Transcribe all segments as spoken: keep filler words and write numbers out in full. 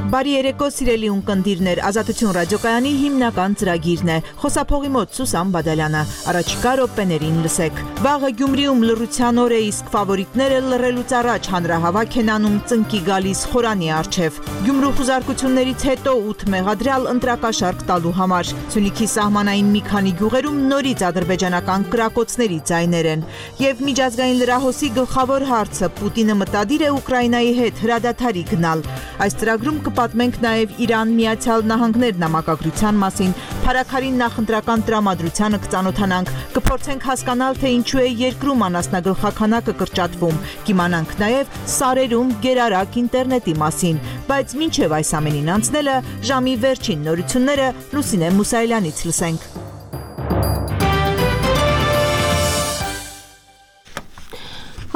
Բարի երեկո սիրելի ունկնդիրներ, Ազատություն ռադիոկայանի հիմնական ծրագիրն է։ Խոսափողի մոտ Սուսան Բադալյանը, առաջիկա րոպեներին լսեք։ Վաղը Գյումրիում լռության օր է, իսկ ֆավորիտները լռելուց առաջ հանրահավաք են անում ծնկի գալիս խորանի առջև։ Գյումրու խուզարկություններից հետո ութ մեղադրյալ ընտրակաշարք տալու համար։ Սյունիքի սահմանային մի քանի գյուղերում նորից ադրբեջանական կրակոցների ձայներ են։ Եվ միջազգային լրահոսի գլխավոր հարցը՝ Պուտինը մտադիր է Ուկրաինայի հետ հրադադարի գնալ։ Այս ծրագրում կպատմենք նաև Իրան-Միացյալ Նահանգներ նամակագրության մասին, Փարաքարին նախընտրական տրամադրությանը կծանոթանանք, կփորձենք հասկանալ, թե ինչու է երկրում անասնագլխաքանակը կրճատվում, կիմանանք նաև սարերում գերարագ ինտերնետի մասին, բայց մինչև այս ամենին անցնելը ժամի վերջին նորությունները Լուսինե Մուսայելյանից լսենք։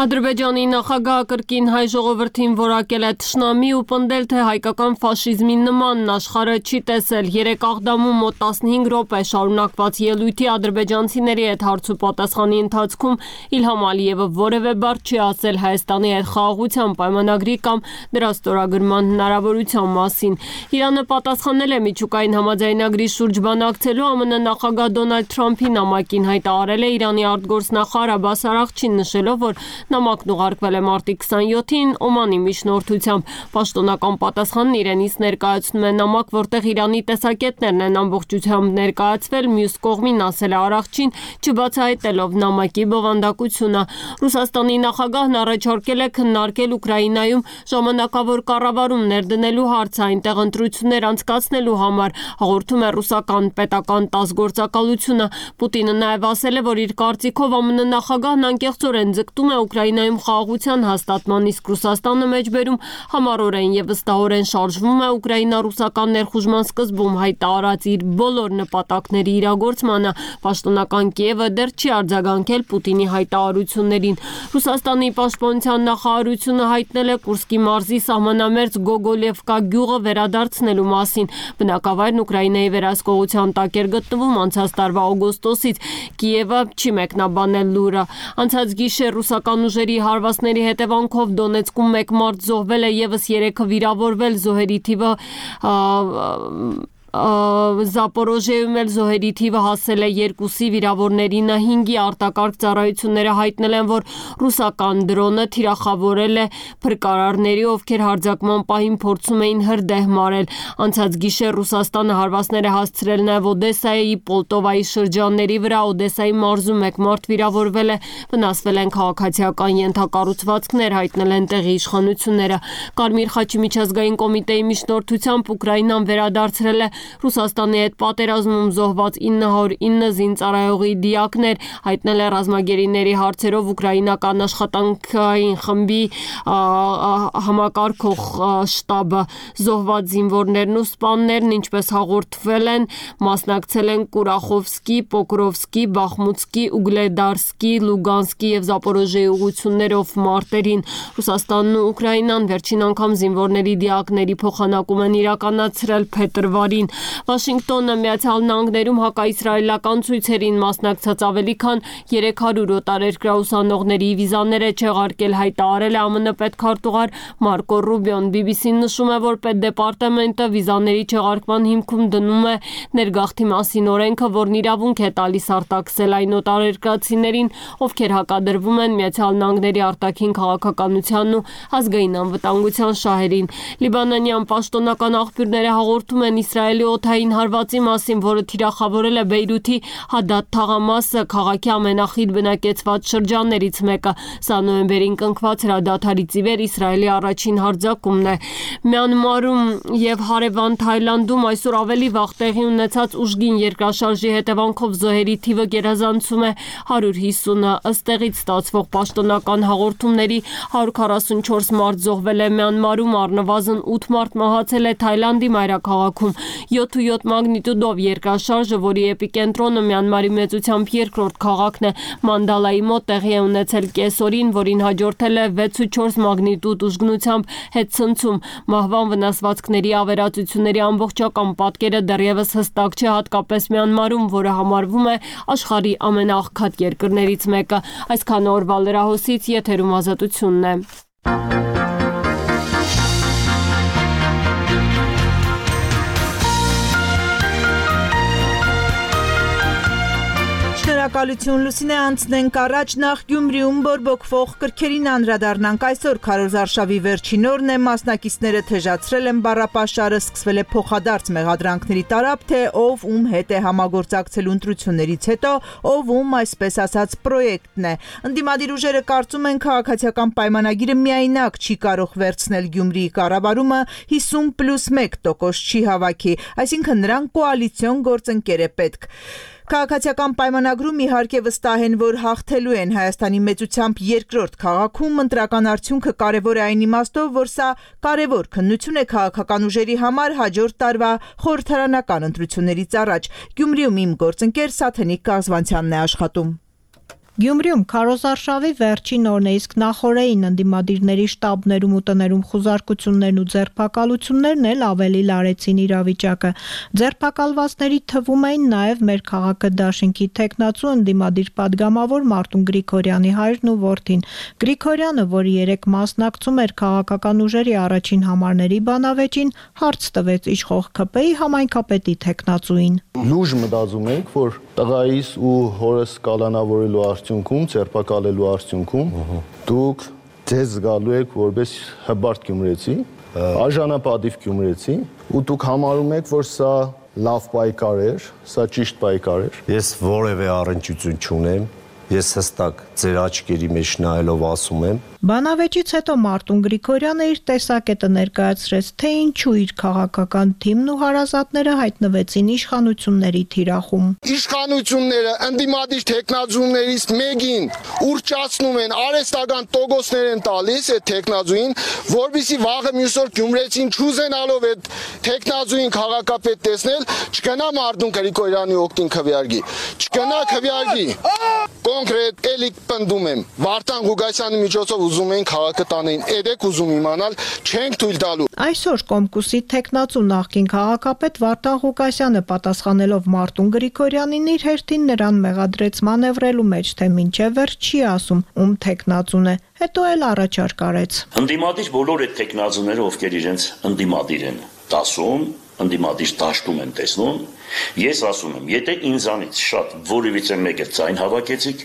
Ադրբեջանի նախագահը կրկին հայ ժողովրդին որակել է թշնամի ու պնդել, թե հայկական ֆաշիզմի նմանն աշխարհը չի տեսել։ Երեք Աղդամում մոտ տասնհինգ րոպե շարունակված ելույթի ադրբեջանցիների հետ հարց ու պատասխանի ընթացքում Իլհամ Ալիևը որևէ բառ չի ասել Հայաստանի հետ խաղաղության պայմանագրի կամ դրա ստորագրման հնարավորության մասին։ Իրանը պատասխանել է միջուկային համաձայնագրի շուրջ բանակցելու ԱՄՆ նախագահ Դոնալդ Թրամփի նամակին, հայտարարել է Իրանի արտգործնախարար Աբբաս Արաղչին, նշելով, որ նամակն ուղարկվել է մարտի քսաներկուին Օմանի միջնորդությամբ։ Պաշտոնական պատասխանն իրենից ներկայացնում է նամակ, որտեղ Իրանի տեսակետներն են ամբողջությամբ ներկայացվել, մյուս կողմին ասել է Արաղչին, չբացահայտելով նամակի բովանդակությունը։ Ռուսաստանի նախագահն առաջարկել է քննարկել Ուկրաինայում ժամանակավոր կառավարում ներդնելու հարցը, այնտեղ ընտրություններ անցկացնելու համար, հաղորդում է ռուսական պետական տաս գործակալությունը։ Պուտինը նաև ասել է, որ իր կարծիքով ԱՄՆ նախագահն անկեղծորեն ձգտում է Ուկրաինայում խաղաղության հաստատման, իսկ Ռուսաստանը մեջբերում համառորեն եւ վստահորեն շարժվում է ուկրաինա-ռուսական ներխուժման սկզբում հայտարարած իր բոլոր նպատակների իրագործմանը։ Պաշտոնական Կիևը դեռ չի արձագանքել Պուտինի հայտարարություններին։ Ռուսաստանի պաշտպանության նախարարությունը հայտնել է Կուրսկի մարզի սահմանամերձ Գոգոլևկա գյուղը վերադարձնելու մասին։ Բնակավայրն Ուկրաինայի վերահսկողության տակ էր գտնվում անցած տարվա օգոստոսից։ Կիևը չի մեկնաբանել լուրը։ Անցած գիշեր ռուսական ուժերի հարվածների հետևանքով Դոնեցկում մեկ մարդ զոհվել է, եւս երեքը վիրավորվել, զոհերի թիվը Զապորոժիայում էլ զոհերի թիվը հասել է երկուսի, վիրավորներինը հինգի։ Արտակարգ ծառայությունները հայտնել են, որ ռուսական դրոնը թիրախավորել է փրկարարների, ովքեր հարձակման պահին փորձում էին հրդեհ մարել։ Անցած գիշեր Ռուսաստանը հարվածներ է հասցրել նաև Օդեսայի, Պոլտովայի շրջանների վրա։ Օդեսայի մարզում մեկ մարդ վիրավորվել է, վնասվել են քաղաքացիական ենթակառուցվածքներ, հայտնել են տեղի իշխանությունները։ Կարմիր խաչի միջազգային կոմիտեի միջնորդությամբ Ուկրաինան վերադարձրել է Ռուսաստանի հետ պատերազմում զոհված ինը հարյուր ինը զինծառայողի դիակներ, հայտնել է ռազմագերիների հարցերով ուկրաինական աշխատանքային խմբի համակարգող շտաբը։ Զոհված զինվորներն ու սպաներն, ինչպես հաղորդվել են, մասնակցել են Կուրախովսկի, Պոկրովսկի, Բախմուտսկի, Ուգլեդարսկի, Լուգանսկի եւ Զապորոժիայի ուղղություններով մարտերին։ Ռուսաստանն ու Ուկրաինան վերջին անգամ զինվորների դիակների փոխանակում են իրականացրել փետրվարին։ Վաշինգտոնը Միացյալ Նահանգներում հակաիսրայելական ցույցերին մասնակցած ավելի քան երեք հարյուր օտարերկրյա ուսանողների վիզաներ է չեղարկել, հայտարարել է ԱՄՆ պետքարտուղար Մարկո Ռուբիոն։ բի բի սին նշում է, որ պետդեպարտամենտը վիզաների չեղարկման հիմքում դնում է ներգաղթի մասին օրենքը, որն իրավունք է տալիս արտաքսել այն օտարերկրացիներին, ովքեր հակադրվում են Միացյալ Նահանգների արտաքին քաղաքականությանն ու ազգային անվտանգության շահերին։ Լիբանանյան պաշտոնական աղբյուրները հաղորդում են Իսրայելի օդային հարվածի մասին, որը թիրախավորել է Բեյրութի Հադադ թաղամասը, քաղաքի ամենախիտ բնակեցված շրջաններից մեկը։ Սա նոյեմբերին կնքված հրադադարից ի վեր Իսրայելի առաջին հարձակումն է։ Մյանմարում եւ հարևան Թայլանդում այսօր ավելի վաղ տեղի ունեցած ուժգին երկրաշարժի հետևանքով զոհերի թիվը գերազանցում է հարյուր հիսունը։ Ըստ տեղից ստացվող պաշտոնական հաղորդումների հարյուր քառասունչորս մարդ զոհվել է Մյանմարում, առնվազն ութ մարդ մահացել է Թայլանդի մայրաքաղաքում։ յոթ ու յոթ մագնիտուդով երկրաշարժը, որի էպիկենտրոնը Մյանմարի մեծությամբ երկրորդ քաղաքն է, Մանդալայի մոտ տեղի է ունեցել կեսօրին, որին հաջորդել է վեց ու չորս մագնիտուդ ուժգնությամբ հետցնցում։ Մահվան վնասվածքների ավերածությունների ամբողջական պատկերը դեռևս հստակ չէ, հատկապես Մյանմարում, որը համարվում է աշխարհի ամենաաղքատ երկրներից մեկը։ Այսքան օրվա լրահոսից եթերում Ազատությունն է։ Շնորհակալություն Լուսինե, անցնենք առաջ, նախ Գյումրիում բորբոքվող կրքերին անդրադառնանք։ Այսօր քարոզարշավի վերջին օրն է, մասնակիցները թեժացրել են բառապաշարը, սկսվել է փոխադարձ մեղադրանքների տարափ, թե ով ում հետ է համագործակցելու ընտրություններից հետո, ով ում այսպես ասած պրոյեկտն է։ Ընդդիմադիր ուժերը կարծում են, քաղաքացիական պայմանագիրը միայնակ չի կարող վերցնել Գյումրիի կառավարումը, հիսուն պլյուս մեկ տոկոս չի հավաքի, այսինքն նրան կոալիցիոն գործընկեր է պետք։ Քաղաքացիական պայմանագրում իհարկե վստահ են, որ հաղթելու են Հայաստանի մեծությամբ երկրորդ քաղաքում, ընտրական արդյունքը կարևոր է այն իմաստով, որ սա կարևոր քննություն է քաղաքական ուժերի համար հաջորդ տարվա խորհրդարանական ընտրություններից առաջ։ Գյումրիում իմ գործընկեր Սաթենիկ Կազվանցյանն է աշխատում։ Գյումրիում քարոզարշավի վերջին օրն է, իսկ նախօրեին ընդդիմադիրների շտաբներում ու տներում խուզարկություններն ու ձերբակալություններն էլ ավելի լարեցին իրավիճակը։ Ձերբակալվածների թվում էին նաև մեր քաղաքը դաշինքի թեկնածու ընդդիմադիր падգամավոր Մարտուն Գրիգորյանի հայրն ու որդին։ Գրիգորյանը, որը երեք մասնակցում էր քաղաքական ուժերի առաջին համարների բանավեճին, հարց տվեց իշխող ՔՊ-ի համայնքապետի թեկնածուին։ Լուժ մտածում եք, որ տղայիս ու հորս կալանավորելու արդյունքում, ձերբակալելու արդյունքում դուք ձեզ զգալու եք որպես հբարտ գյումրեցի, արժանապատիվ գյումրեցի, ու դուք համարում եք, որ սա լավ պայքար էր, սա ճիշտ պայքար էր։ Ես որևէ առնչություն չունեմ, ես հստակ ձեր աչքերի մեջ նայելով ասում եմ։ Բանավեճից հետո Մարտուն Գրիգորյանը իր տեսակետը ներկայացրեց, թե ինչու իր քաղաքական թիմն ու հարազատները հայտնվեցին իշխանությունների թիրախում։ Իշխանությունները ընդդիմադիր թեկնածուներից մեկին ուրճացնում են, արհեստական տոկոսներ են տալիս այդ թեկնածուին, որպեսզի վաղը մյուս օր գյումրեցին չուզենալով այդ թեկնածուին քաղաքապետ տեսնել, չգնա Մարտուն Գրիգորյանի օգտին քվեարկի, չգնա քվեարկի։ Կոնկրետ էլի պնդում եմ, Վարդան Ղուկասյանի միջոցով ուզում են քաղաքը տանեն, edek ուզում իմանալ, չենք թույլ տալու։ Այսօր Կոմկուսի թեկնածու նախկին քաղաքապետ Վարդան Ղուկասյանը պատասխանելով Մարտուն Գրիգորյանին իր հերթին նրան մեղադրեց մանևրելու մեջ, թե մինչև վերջ չի ասում, ում թեկնածուն է, հետո էլ առաջարկ արեց։ Ընդդիմադիր բոլոր այդ թեկնածուները, ովքեր իրենց ընդդիմադիր են դասում, ընդդիմադիր դաշտում են տեսնում, ես ասում եմ, եթե ինձանից շատ որևիցե մեկը ձայն հավաքեցիք,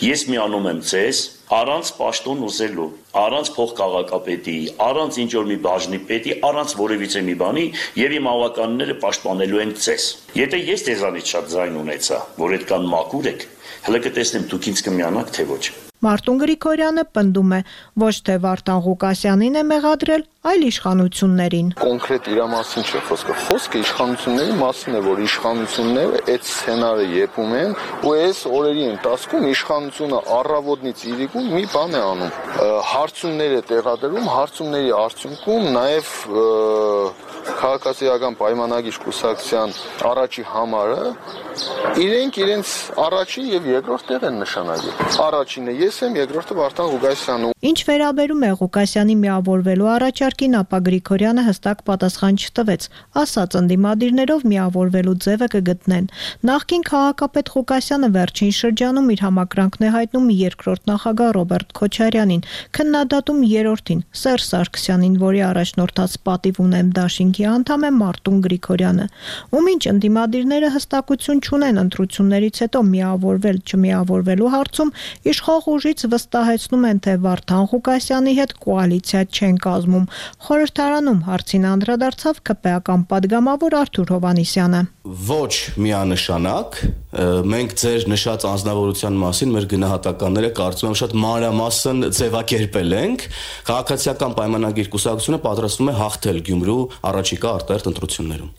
ես միանում եմ ձեզ առանց պաշտոն ուզելու, առանց փոխքաղաքապետի, առանց ինչ-որ մի բաժնի պետի, առանց որևիցե մի բանի եւ իմ ավականները պաշտպանելու են ձեզ։ Եթե ես ձեզանից շատ ձայն ունեցա, որ այդքան մաքուր եք, հələ կտեսնեմ դուք ինձ կմիանաք թե ոչ։ Մարտուն Գրիգորյանը պնդում է, ոչ թե Վարդան Ղուկասյանին է մեղադրել, այլ իշխանություններին։ Կոնկրետ իր մասին չէ խոսքը, խոսքը իշխանությունների մասին է, որ իշխանությունները այդ սցենարը եպում են, ու այս օրերի ընթացքում իշխանությունը առավոտից իրիկուն մի բան է անում, հարցումներ է տեղադրում, հարցումների արդյունքում նաև քաղաքացիական պայմանագիր կուսակցության առաջի համարը իրենք իրենց առաջի եւ երկրորդ տեղ են նշանակել։ Առաջինը ես եմ, երկրորդը Վարդան Ղուկասյանը։ Ինչ վերաբերում է Ղուկասյանի միավորվելու առաջարկին, ապա Գրիգորյանը հստակ պատասխան չտվեց, ասաց ընդդիմադիրներով միավորվելու ձևը կգտնեն։ Նախկին քաղաքապետ Ղուկասյանը վերջին շրջանում իր համակրանքն է հայտնում երկրորդ նախագահ Ռոբերտ Քոչարյանին, քննադատում երրորդին Սերժ Սարգսյանին, որի առաջնորդած պատիվ ունեմ դաշինքի անդամ է Մարտուն Գրիգորյանը, ում ինչ ընդդիմադիրները հստակություն չունեն ընտրություններից հետո միավորվել չմիավորվելու հարցում, իշխող ուժից վստահեցնում են, թե Վարդան Ղուկասյանի հետ կոալիցիա չեն կազմում։ Խորհրդարանում հարցին անդրադարձավ ԿՊ-ական падգամավոր Արթուր Հովհաննիսյանը։ Ոչ միանշանակ, մենք ձեր նշած անձնավորության մասին մեր գնահատականները կարծում եմ շատ մանրամասն ձևակերպել ենք։ Քաղաքացիական պայմանագիր կուսակցությունը պատրաստվում է հաղթել Գյումրու առաջիկա արտահերթ ընտրություններում։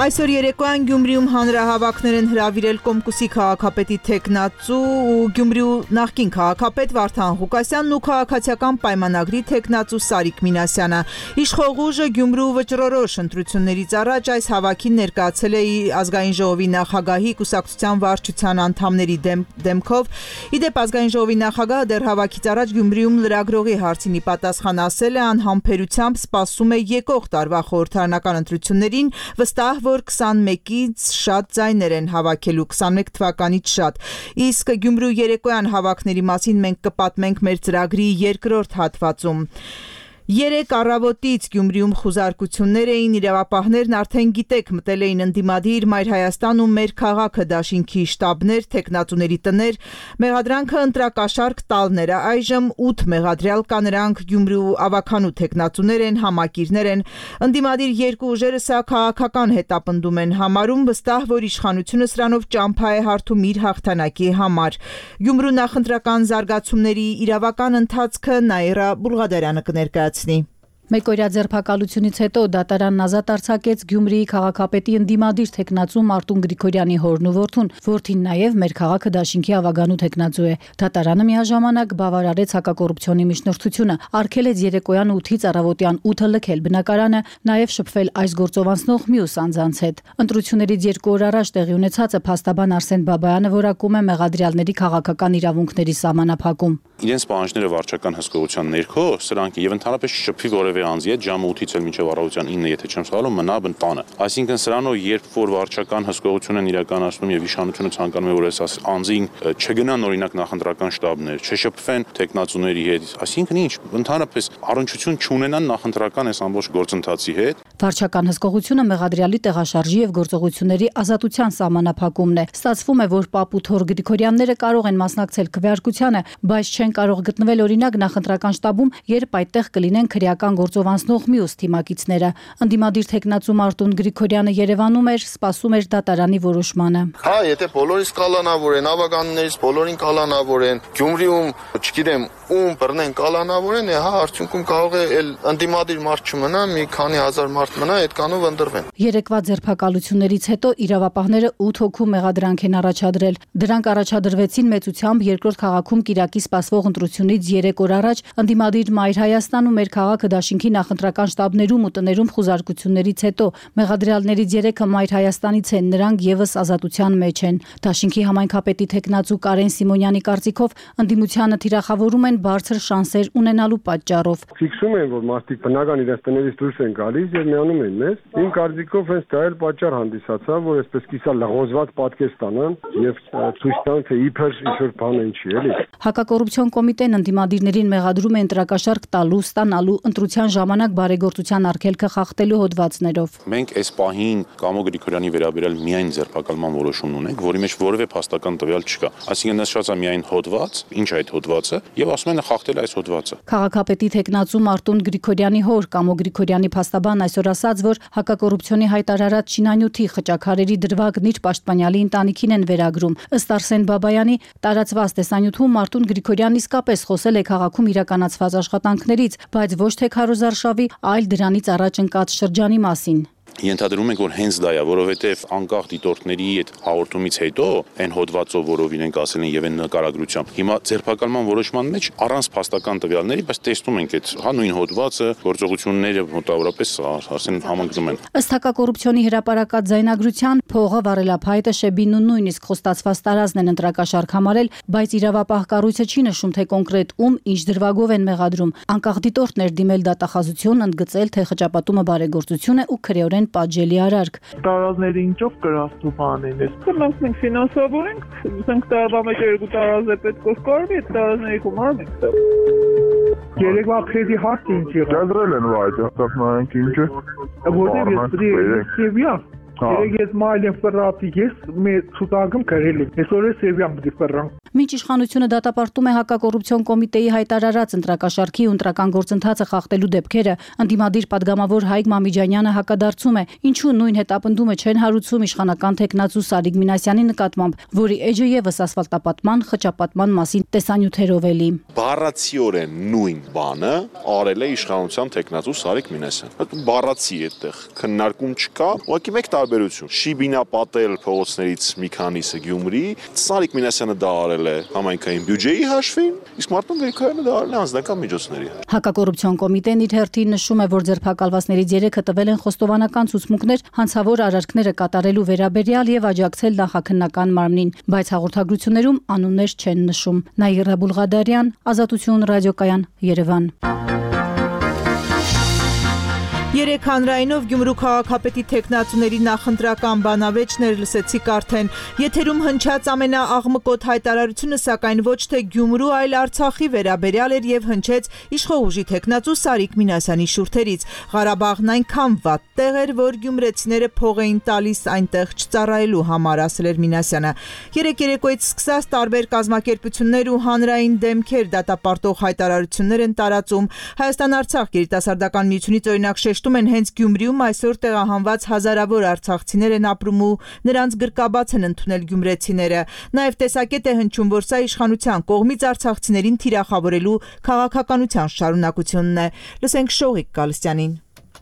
Այսօր երեկոյան Գյումրիում հանրահավաքներ են հրավիրել Կոմկուսի քաղաքապետի թեկնածու ու Գյումրիու նախկին քաղաքապետ Վարդան Ղուկասյանն ու քաղաքացիական պայմանագրի թեկնածու Սարիկ Մինասյանը։ Իշխող ուժը Գյումրու վճռորոշ ընտրություններից առաջ այս հավաքին ներկայացել է ազգային ժողովի նախագահի կուսակցության վարչության անդամների դեմ, դեմքով։ Իդեպ ազգային ժողովի նախագահը դեռ հավաքից առաջ Գյումրիում լրագրողի հարցին ի պատասխան ասել է, անհամբերությամբ սպասում է եկող տարվա խորհրդարանական ընտրություններին, վստահ որ քսանմեկից շատ ձայներ են հավաքելու, քսանմեկ թվականից շատ։ Իսկ Գյումրու երեկոյան հավաքների մասին մենք կպատմենք մեր ծրագրի երկրորդ հատվածում։ Երեք առավոտից Գյումրիում խուզարկություններ էին, իրավապահներն արդեն գիտեք մտել էին ընդդիմադիր Մայր Հայաստան ու Մեր քաղաքը դաշինքի շտաբներ, թեկնածուների տներ, մեղադրանքը ընտրակաշարք տալն էր, այժմ ութ մեղադրյալ կա, նրանք Գյումրիու ավականու թեկնածուներ են, համակիրներ են, ընդդիմադիր երկու ուժերը սա քաղաքական հետապնդում են համարում, վստահ, որ իշխանությունը սրանով ճամփա է հարթում իր հաղթանակի համար։ Գյումրու նախընտրական զարգացումների իրավական ընթացքը Նաիրա Բուլղադարյանը կներկայացնի։ Մեկօրյա ձերբակալությունից հետո դատարանն ազատ արձակեց Գյումրիի քաղաքապետի ընդդիմադիր թեկնածու Մարտուն Գրիգորյանի հորն ու որդուն, որդին նաև Մեր քաղաքը դաշինքի ավագանու թեկնածու է։ Դատարանը միաժամանակ բավարարեց հակակոռուպցիոնի միջնորդությունը, արգելեց երեկոյան ութից առավոտյան ութը լքել բնակարանը, նաև շփվել այս գործով անցնող մյուս անձանց հետ։ Ընտրություններից երկու օր առաջ տեղի ունեցածը փաստաբան Արսեն Բաբայանը որակում է մեղադրյալների քաղաքական իրավունքների սահմանափակում։ Իրենց պահանջները վարչական հսկողության ներքո սրանք եւ ընդհանրապես շփվի որևէ անձի հետ ժամը ութից էլ մինչև առավոտյան ինը, եթե չեմ սխալվում, մնա բնտանը։ Այսինքն սրանով երբ որ վարչական հսկողություն են իրականացնում եւ իշխանությունը ցանկանում է որ այս անձին չգնան օրինակ նախընտրական շտաբներ, չշփվեն տեխնացուների հետ, այսինքն ինչ, ընդհանրապես առնչություն չունենան նախընտրական այս ամբողջ գործընթացի հետ։ Վարչական հսկողությունը մեղադրյալի տեղաշարժի եւ գործողությունների ազատության սահմանափակումն է։ Ստացվում է, որ Պապ ու Թոր Գրիգորյանները կարող են մասնակցել քվեարկությանը, բայց չեն կարող գտնվել օրինակ նախընտրական շտաբում, երբ այդտեղ կլինեն քրեական գործով անցնող մյուս թիմակիցները։ Ընդդիմադիր թեկնածու Մարտուն Գրիգորյանը Երևանում էր, սպասում էր դատարանի որոշմանը։ Հա, եթե բոլորից կալանավոր են, ավականներից բոլորին կալանավոր են, Գյումրիում, չգիտեմ, ում բռնեն կալանավոր են, հա, արդյունքում կարող է էլ ընդդիմադիր մարդ չմնա, մի քանի հազար մարդ մնա, այդքանով ընտրվեն։ Երեկվա ձերբակալություններից հետո իրավապահները ութ հոգու մեղադրանք են առաջադրել։ Դրանք առաջադրվեցին մեծությամբ երկրորդ քաղաքում կիրակի սպասվող ընտրությունից երեք օր առաջ ընդդիմադիր Մայր Հայաստան ու Մեր քաղաքը դաշինքի նախընտրական շտաբներում ու տներում խուզարկություններից հետո մեղադրյալներից երեքը Մայր Հայաստանից են, նրանք եւս ազատության մեջ են։ Դաշինքի համայնքապետի թեկնածու Կարեն Սիմոնյանի կարծիքով ընդդիմությանը թիրախավորում են բարձր շանսեր ունենալու պատճառով։ Ֆիքսում են, որ մարդիկ բնական իրենց տներից դուրս են գալիս եւ միանում են մեզ։ Իմ կարծիքով հենց դա էլ պատճառ հանդիսացավ, որ այսպես կիսա լղոզված պատկեր ստանան եւ ցույց տան, թե իբր ինչ-որ բան են չի, էլի։ Հակակոռուպցիոն կոմիտեն ընդդիմադիրներին մեղադրում է ընտրակաշարք տալու, ստանալու, ընտրության ժամանակ բարեգործության արգելքը խախտելու հոդվածներով։ Մենք այս պահին Կամո Գրիգորյանի վերաբերյալ միայն ձերբակալման որոշում ունենք, որի մեջ որևէ փաստական տվյալ չկա։ Այսինքն նշված է միայն հոդված, ինչ է այդ հոդվածը, եւ ասում են խախտել այս հոդվածը։ Քաղաքապետի թեկնածու Մարտուն Գրիգորյանի հոր Կամո Գրիգորյանի փաստաբան այսօր ասաց, որ հակակոռուպցիոնի հայտարարած շինանյութի խճաքարերի դրվագն իր պաշտպանյալի ընտանիքին են վերագրում։ Ըստ Արսեն Բաբայանի տարածված տեսանյութում Մարտուն Գրիգորյանն իսկապես խոսել է քաղաքում իրականացված աշխատանքներից, բայց ոչ թե քարոզարշավի, այլ դրանից առաջ ընկած շրջանի մասին։ Ենթադրում ենք, որ հենց դա է, որովհետև անկախ դիտորդների այդ հաղորդումից հետո այն հոդվածով, որով իրենք ասել են եւ այն նկարագրությամբ, հիմա ձերբակալման որոշման մեջ առանց փաստական տվյալների, բայց տեսնում ենք այդ հա նույն հոդվածը, գործողությունները մոտավորապես ասեն համընկնում են։ Ըստ հակակոռուպցիոնի հրապարակած ձայնագրության փողը, վարելափայտը, շեբին ու նույնիսկ խոստացված տարածքն են ընտրակաշարք համարել, բայց իրավապահ կառույցը չի նշում, թե կոնկրետ ում ինչ դրվագով են մեղադրում։ Անկախ դիտորդներ դիմել դատախազություն, ընդգծել, թե խճապատումը բարեգործություն է ու քրեորեն պատժելի արարք։ Տարազները ինչով կրաստու բան են։ Մենք մենք ֆինանսավորենք, ասենք տարվա մեջ երկու տարազ է պետք է կարվի, այդ տարազների գումարը մենք տա։ Երեկվա քրեդի հարցը ինչ եղավ։ Դրել են վայ, այստեղ նայենք ինչը։ Որտեղ ես դրի Սևիա։ Երեք ես մայլեն ֆրատի ես մեր ցուցակում գրել եմ։ Այսօր է Սևիան դի ֆրան։ Մինչ իշխանությունը դատապարտում է հակակոռուպցիոն կոմիտեի հայտարարած ընտրակաշարքի ու ընտրական գործընթացը խախտելու դեպքերը, ընդդիմադիր падգամավոր Հայկ Մամիջանյանը հակադարձում է, ինչու նույն հետապնդումը չեն հարուցում իշխանական թեկնածու Սարիկ Մինասյանի նկատմամբ, որի էջը եւս ասֆալտապատման, խճապատման մասին տեսանյութերով էլի։ Բառացիորեն նույն բանը արել է իշխանության թեկնածու Սարիկ Մինասյանը։ Բառացի այդտեղ քննարկում չկա, ուղղակի մեկ տարբերություն։ Շիբինա պատել փողոցներից մի քանիսը Գյումրի, Սարիկ Մինասյանը դա արել է համայնքային բյուջեի հաշվին, իսկ Մարտուն Գրիգորյանը դա արել է անձնական միջոցների։ Հակակոռուպցիոն կոմիտեն իր հերթին նշում է, որ ձերբակալվածներից երեքը տվել են խոստովանական ցուցմունքներ հանցավոր արարքները կատարելու վերաբերյալ եւ աջակցել նախաքննական մարմնին, բայց հաղորդագրություններում անուններ չեն նշում։ Նաիրա Բուլղադարյան, Ազատություն ռադիոկայան, Երևան։ Երեք հանրայինով Գյումրու քաղաքապետի թեկնածուների նախընտրական բանավեճներ լսեցիք արդեն։ Եթերում հնչած ամենաաղմկոտ հայտարարությունը սակայն ոչ թե Գյումրու, այլ Արցախի վերաբերյալ էր եւ հնչեց իշխող ուժի թեկնածու Սարիկ Մինասյանի շուրթերից։ Ղարաբաղն այնքան վատ տեղ էր, որ գյումրեցիները փող էին տալիս այնտեղ չծառայելու համար, ասել էր Մինասյանը։ Երեք երեկոյից սկսած տարբեր կազմակերպություններ ու հանրային դեմքեր դատապարտող հայտարարություններ են տարածում։ Հայաստան-Արցախ գերիտասարդական միությունից օրինակ շեշտում են հենց Գյումրիում այսօր տեղահանված հազարավոր արցախցիներ են ապրում ու նրանց գրկաբաց են ընդունել գյումրեցիները։ Նաև տեսակետ է հնչում, որ սա իշխանության կողմից արցախցիներին թիրախավորելու քաղաքականության շարունակությունն է։ Լսենք Շողիկ Գալստյանին։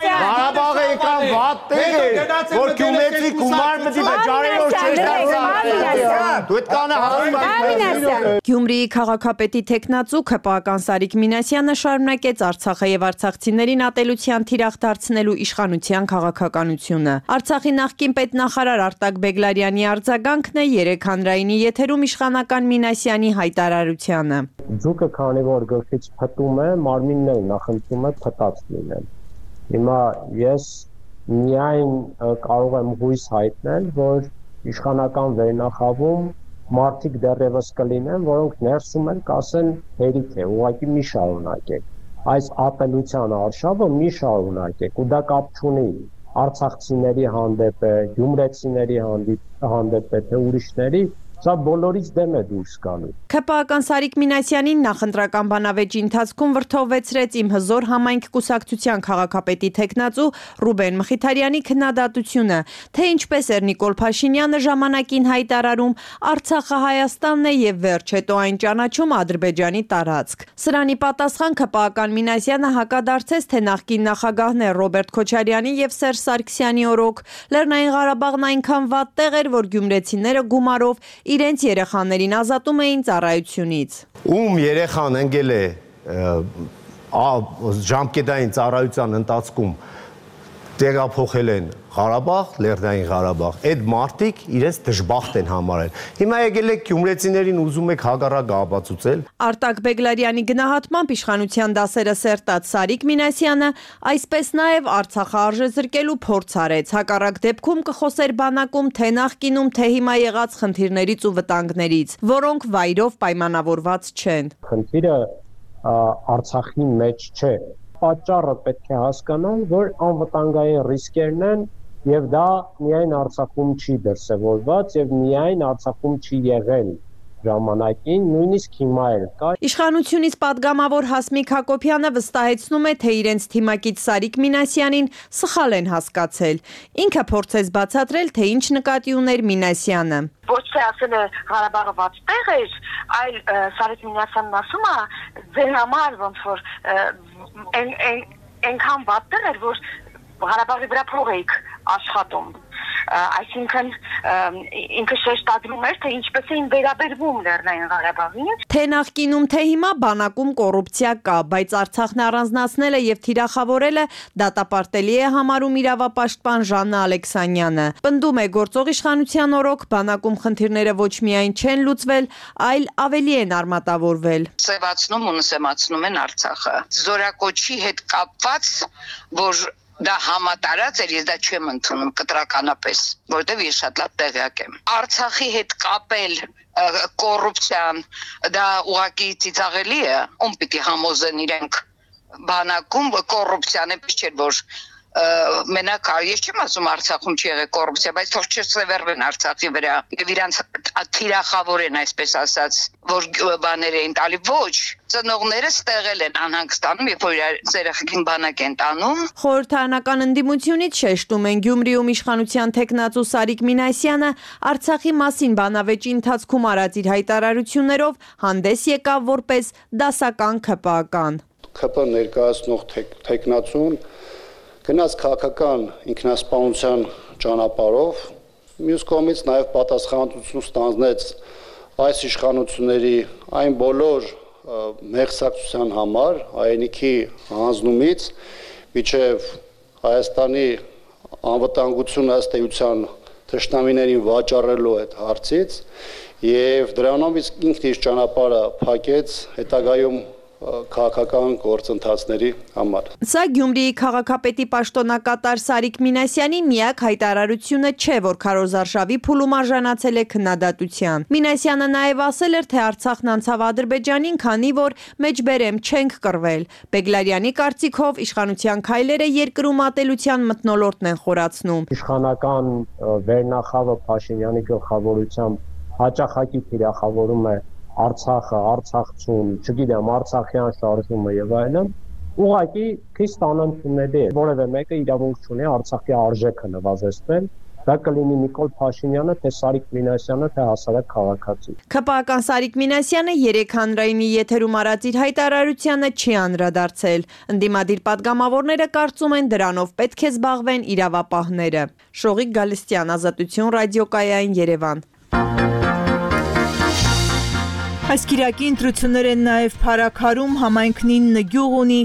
Ղարաբաղը եկան վատ տեղ է, որ գյումրեցի գումար մտի վճարելով չեստացան։ Դու այդ կանը հասնում։ Գյումրիի քաղաքապետի թեկնածու ՔՊԱ-ական Սարիկ Մինասյանը շարունակեց Արցախը եւ արցախցիներին ատելության թիրախ դարձնելու իշխանության քաղաքականությունը։ Արցախի նախկին պետնախարար Արտակ Բեգլարյանի արձագանքն է երեք հանրայինի եթերում իշխանական Մինասյանի հայտարարությանը։ Ձուկը քանի որ գլխից փտում է, մարմինն էլ նախընտրում է փտած լինել։ Հիմա ես միայն կարող եմ հույս հայտնել, որ իշխանական վերնախավում մարդիկ դեռևս կլինեն, որոնք ներսում են կասեն հերիք է, ուղղակի մի շարունակեք։ Այս ատելության արշավը մի շարունակեք, ու դա կապ չունի արցախցիների հանդեպ է, գյումրեցիների հանդեպ է, թե ուրիշների, սա բոլորից դեմ է դուրս գալու։ ՔՊԱ-ական Սարիկ Մինասյանին նախընտրական բանավեճի ընթացքում վրթովվեցրեց Իմ հզոր համայնք կուսակցության քաղաքապետի թեկնածու Ռուբեն Մխիթարյանի քննադատությունը, թե ինչպես էր Նիկոլ Փաշինյանը ժամանակին հայտարարում Արցախը Հայաստանն է եւ վերջ հետո այն ճանաչում Ադրբեջանի տարածք։ Սրանի պատասխան ՔՊԱ-ական Մինասյանը հակադարձեց, թե նախկին նախագահներ Ռոբերտ Քոչարյանի եւ Սերժ Սարգսյանի օրոք Լեռնային Ղարաբաղն այնքան վատ տեղ էր, որ գյումրեցիները գումարով իրենց երեխաներին ազատում էին ծառայությունից։ Ում երեխան ընկել է ժամկետային ծառայության ընթացքում տեղափոխել են Ղարաբաղ, Լեռնային Ղարաբաղ, այդ մարդիկ իրենց դժբախտ են համարել։ Հիմա եկել եք գյումրեցիներին ուզում եք հակառակը ապացուցել։ Արտակ Բեգլարյանի գնահատմամբ իշխանության դասերը սերտած Սարիկ Մինասյանը այսպես նաև Արցախը արժեզրկելու փորձ արեց։ Հակառակ դեպքում կխոսեր բանակում թե նախկինում, թե հիմա եղած խնդիրներից ու վտանգներից, որոնք վայրով պայմանավորված չեն։ Խնդիրը Արցախի մեջ չէ։ Պատճառը պետք է հասկանալ, որ անվտանգային ռիսկերն են եւ դա միայն Արցախում չի դրսևորված եւ միայն Արցախում չի եղել ժամանակին, նույնիսկ հիմա էլ կա։ Իշխանությունից падգամավոր Հասմիկ Հակոբյանը վստահեցնում է, թե իրենց թիմակից Սարիկ Մինասյանին սխալ են հասկացել։ Ինքը փորձեց բացատրել, թե ինչ նկատի ուներ Մինասյանը։ Ոչ թե ասել է Ղարաբաղը վատ տեղ էր, այլ Սարիկ Մինասյանն ասում է ձեր համար ոնց որ այնքան վատ տեղ էր, որ Ղարաբաղի վրա փող էիք աշխատում։ Այսինքն ինքը շեշտադրում էր, թե ինչպես էին վերաբերվում Լեռնային Ղարաբաղին։ Թե նախկինում, թե հիմա բանակում կոռուպցիա կա, բայց Արցախն առանձնացնելը եւ թիրախավորելը դատապարտելի է համարում իրավապաշտպան Ժաննա Ալեքսանյանը։ Պնդում է, գործող իշխանության օրոք բանակում խնդիրները ոչ միայն չեն լուծվել, այլ ավելի են արմատավորվել։ Սևացնում ու նսեմացնում են Արցախը։ Զորակոչի հետ կապված, որ դա համատարած էր, ես դա չեմ ընդունում կտրականապես, որովհետև ես շատ լավ տեղյակ եմ։ Արցախի հետ կապել կոռուպցիան, դա ուղղակի ծիծաղելի է, ում պիտի համոզեն իրենք բանակում կոռուպցիան էպես չէր, որ մենակ ես չեմ ասում Արցախում չի եղել կոռուպցիա, բայց թող չսևեռվեն Արցախի վրա եւ իրանց թիրախավորեն, այսպես ասած, որ բաներ էին տալի, ոչ, ծնողները ստեղել են անհանգստանում, երբ որ իրենց երեխեքին բանակ են տանում։ Խորհրդարանական ընդդիմությունից շեշտում են Գյումրիում իշխանության թեկնածու Սարիկ Մինասյանը Արցախի մասին բանավեճի ընթացքում արած իր հայտարարություններով հանդես եկավ որպես դասական ՔՊԱ-ական։ ՔՊ ներկայացնող թեկնածուն գնաց քաղաքական ինքնասպանության ճանապարհով, մյուս կողմից նաև պատասխանատվություն ստանձնեց այս իշխանությունների այն բոլոր մեղսակցության համար, հայրենիքի հանձնումից մինչև Հայաստանի անվտանգությունը ըստ էության թշնամիներին վաճառելու այդ հարցից եւ դրանով ինքն իր ճանապարհը փակեց հետագայում քաղաքական գործընթացների համար։ Սա Գյումրիի քաղաքապետի պաշտոնակատար Սարիկ Մինասյանի միակ հայտարարությունը չէ, որ քարոզարշավի փուլում արժանացել է քննադատության։ Մինասյանը նաև ասել էր, թե Արցախն անցավ Ադրբեջանին, քանի որ մեջբերեմ չենք կռվել։ Բեգլարյանի կարծիքով իշխանության քայլերը երկրում ատելության մթնոլորտն են խորացնում։ Իշխանական վերնախավը Փաշինյանի գլխավորությամբ հաճախակի թիրախավորում է Արցախը, Արցախցուն, չգիտեմ, Արցախյան շարժումը եւ այլն, ուղղակի քիչ ստանալիքների է, որևէ մեկը իրավունք չունի Արցախի արժեքը նվազեցնել, դա կլինի Նիկոլ Փաշինյանը, թե Սարիկ Մինասյանը, թե հասարակ քաղաքացի։ ՔՊԱ-ական Սարիկ Մինասյանը երեք հանրայինի եթերում արած իր հայտարարությանը չի անդրադարձել։ Ընդդիմադիր պատգամավորները կարծում են դրանով պետք է զբաղվեն իրավապահները։ Շողիկ Գալստյան, Ազատություն ռադիոկայան, Երևան։ Այս կիրակի ընտրություններ են նաև Փարաքարում, համայնքն ինը գյուղ ունի,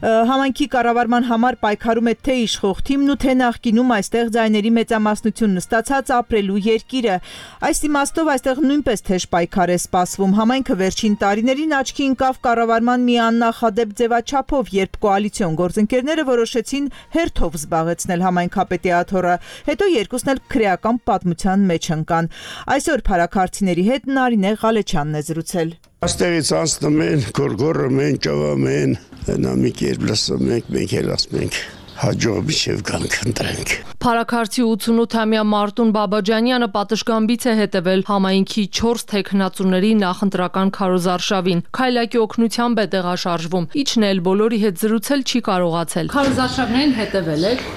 համայնքի կառավարման համար պայքարում է թե իշխող թիմն ու թե նախկինում այստեղ ձայների մեծամասնություն ստացած ապրելու երկիրը։ Այս իմաստով այստեղ նույնպես թեժ պայքար է սպասվում։ Համայնքը վերջին տարիներին աչքի ընկավ կառավարման մի աննախադեպ ձևաչափով, երբ կոալիցիոն գործընկերները որոշեցին հերթով զբաղեցնել համայնքապետի աթոռը, հետո երկուսն էլ քրեական պատմության մեջ ընկան։ Այսօր փարաքարցիների հետ Նարինե Ղալեչյանն է զրուցել։ Աստեղից անցնում են, գորգորում են, ճավում են, նա մի կերպ լսում ենք, մենք էլ ասում ենք հաջող միջև կանք ընտրենք։ Փարաքարցի ութանութամյա Մարտուն Բաբաջանյանը պատշգամբից է հետևել համայնքի չորս թեկնածուների նախընտրական քարոզարշավին։ Քայլակի օգնությամբ է տեղաշարժվում։ Իջնել բոլորի հետ զրուցել չի կարողացել։ Քարոզարշավներին հետևել եք։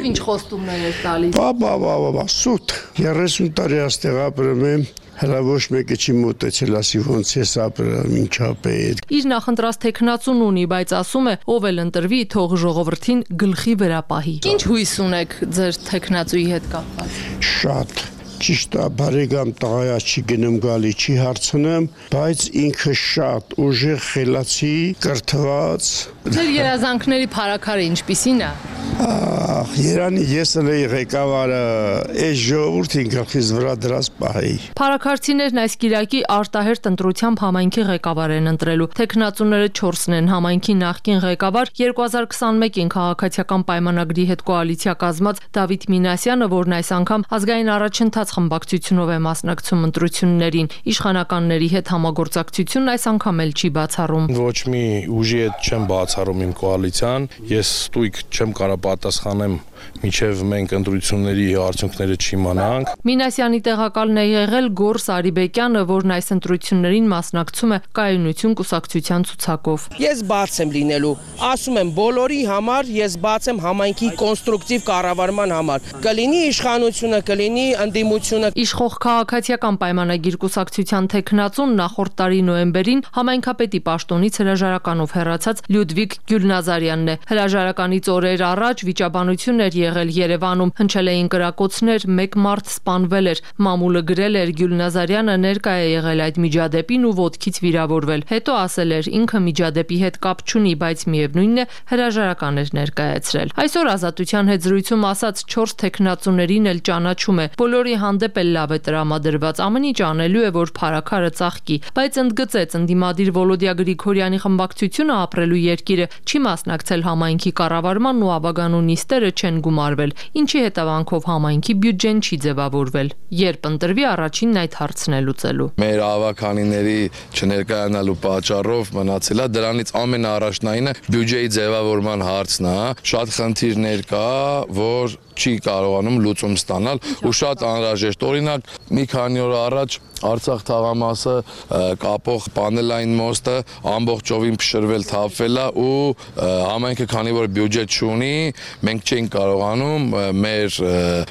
Ինչ խոստումներ եք տալիս։ Բա բա բա բա սուտ երեսուն տարի աստեղ ապրում եմ։ Հələ ոչ մեկը չի մոտեցել, ասի ոնց է ապրել ինչապետ։ Իր նախընտրած թեկնածուն ունի, բայց ասում է, ով էլ ընտրվի, թող ժողովրդին գլխի վրա պահի։ Ինչ հույս ունեք ձեր թեկնածուի հետ կապված։ Շատ ճիշտ է, բարեկամ տղայա չի գնում գալի, չի հարցնում, բայց ինքը շատ ուժեղ, խելացի, կրթված։ Ձեր երազանքների փարաքարը ինչպիսին է։ Ահ, Երանի ես էլ էի ղեկավարը, այս ժողովրդին գլխիս վրա դրած պահի։ Փարաքարցիներն այս կիրակի արտահերթ ընտրությամբ համայնքի ղեկավար են ընտրելու։ Թեկնածուները չորսն են, համայնքի նախկին ղեկավար երկու հազար քսանմեկին քաղաքացիական պայմանագրի հետ կոալիցիա կազմած Դավիթ Մինասյանը, որն այս անգամ ազգային առաջընթաց խմբակցությունով է մասնակցում ընտրություններին։ Իշխանականների հետ համագործակցությունն այս անգամ էլ չի բացառում։ Ոչ մի ուժի հետ չեմ բացառում իմ կոալիցիան, ես ստույգ չեմ կարող պատասխանեմ, մինչև մենք ընտրությունների արդյունքները չիմանանք։ Մինասյանի տեղակալն է եղել Գոռ Սարիբեկյանը, որն այս ընտրություններին մասնակցում է կայունություն կուսակցության ցուցակով։ Ես բաց եմ լինելու, ասում եմ բոլորի համար, ես բաց եմ համայնքի կոնստրուկտիվ կառավարման համար։ Կլինի իշխանությունը, կլինի ընդդիմությունը։ Իշխող քաղաքացիական պայմանագիր կուսակցության թեկնածուն նախորդ տարի նոյեմբերին համայնքապետի պաշտոնից հրաժարականով հեռացած Լյուդվիգ Գյուլնազարյանն է։ Հրաժարականից օրեր առաջ վիճաբանություն էր եղել Երևանում, հնչել էին կրակոցներ, մեկ մարդ սպանվել էր։ Մամուլը գրել էր Գյուլնազարյանը ներկա է եղել այդ միջադեպին ու ոտքից վիրավորվել։ Հետո ասել էր ինքը միջադեպի հետ կապ չունի, բայց միևնույնն է հրաժարական էր ներկայացրել։ Այսօր Ազատության հետ զրույցում ասած չորս թեկնածուներին էլ ճանաչում է։ Բոլորի հանդեպ էլ լավ է տրամադրված, ամեն ինչ անելու է, որ փարաքարը ծաղկի, բայց ընդգծեց ընդդիմադիր Վոլոդիա Գրիգորյանի խմբակցությունը ապրելու երկիրը չի մասնակցել համայնքի կառավարման ու ավագանու նիստերը չեն գումարվել, ինչի հետևանքով համայնքի բյուջեն չի ձևավորվել։ Երբ ընտրվի առաջինն այդ հարցն է լուծելու։ Մեր ավականիների չներկայանալու պատճառով մնացել է դրանից ամենաառաջնայինը բյուջեի ձևավորման հարցն է։ Շատ խնդիրներ կա, որ չի կարողանում լուծում ստանալ ու շատ անհրաժեշտ օրինակ մի քանի օր առաջ Արցախ թաղամասը կապող պանելային մոստը ամբողջովին փշրվել թափվել է ու համայնքը քանի որ բյուջետ չունի մենք չենք կարողանում մեր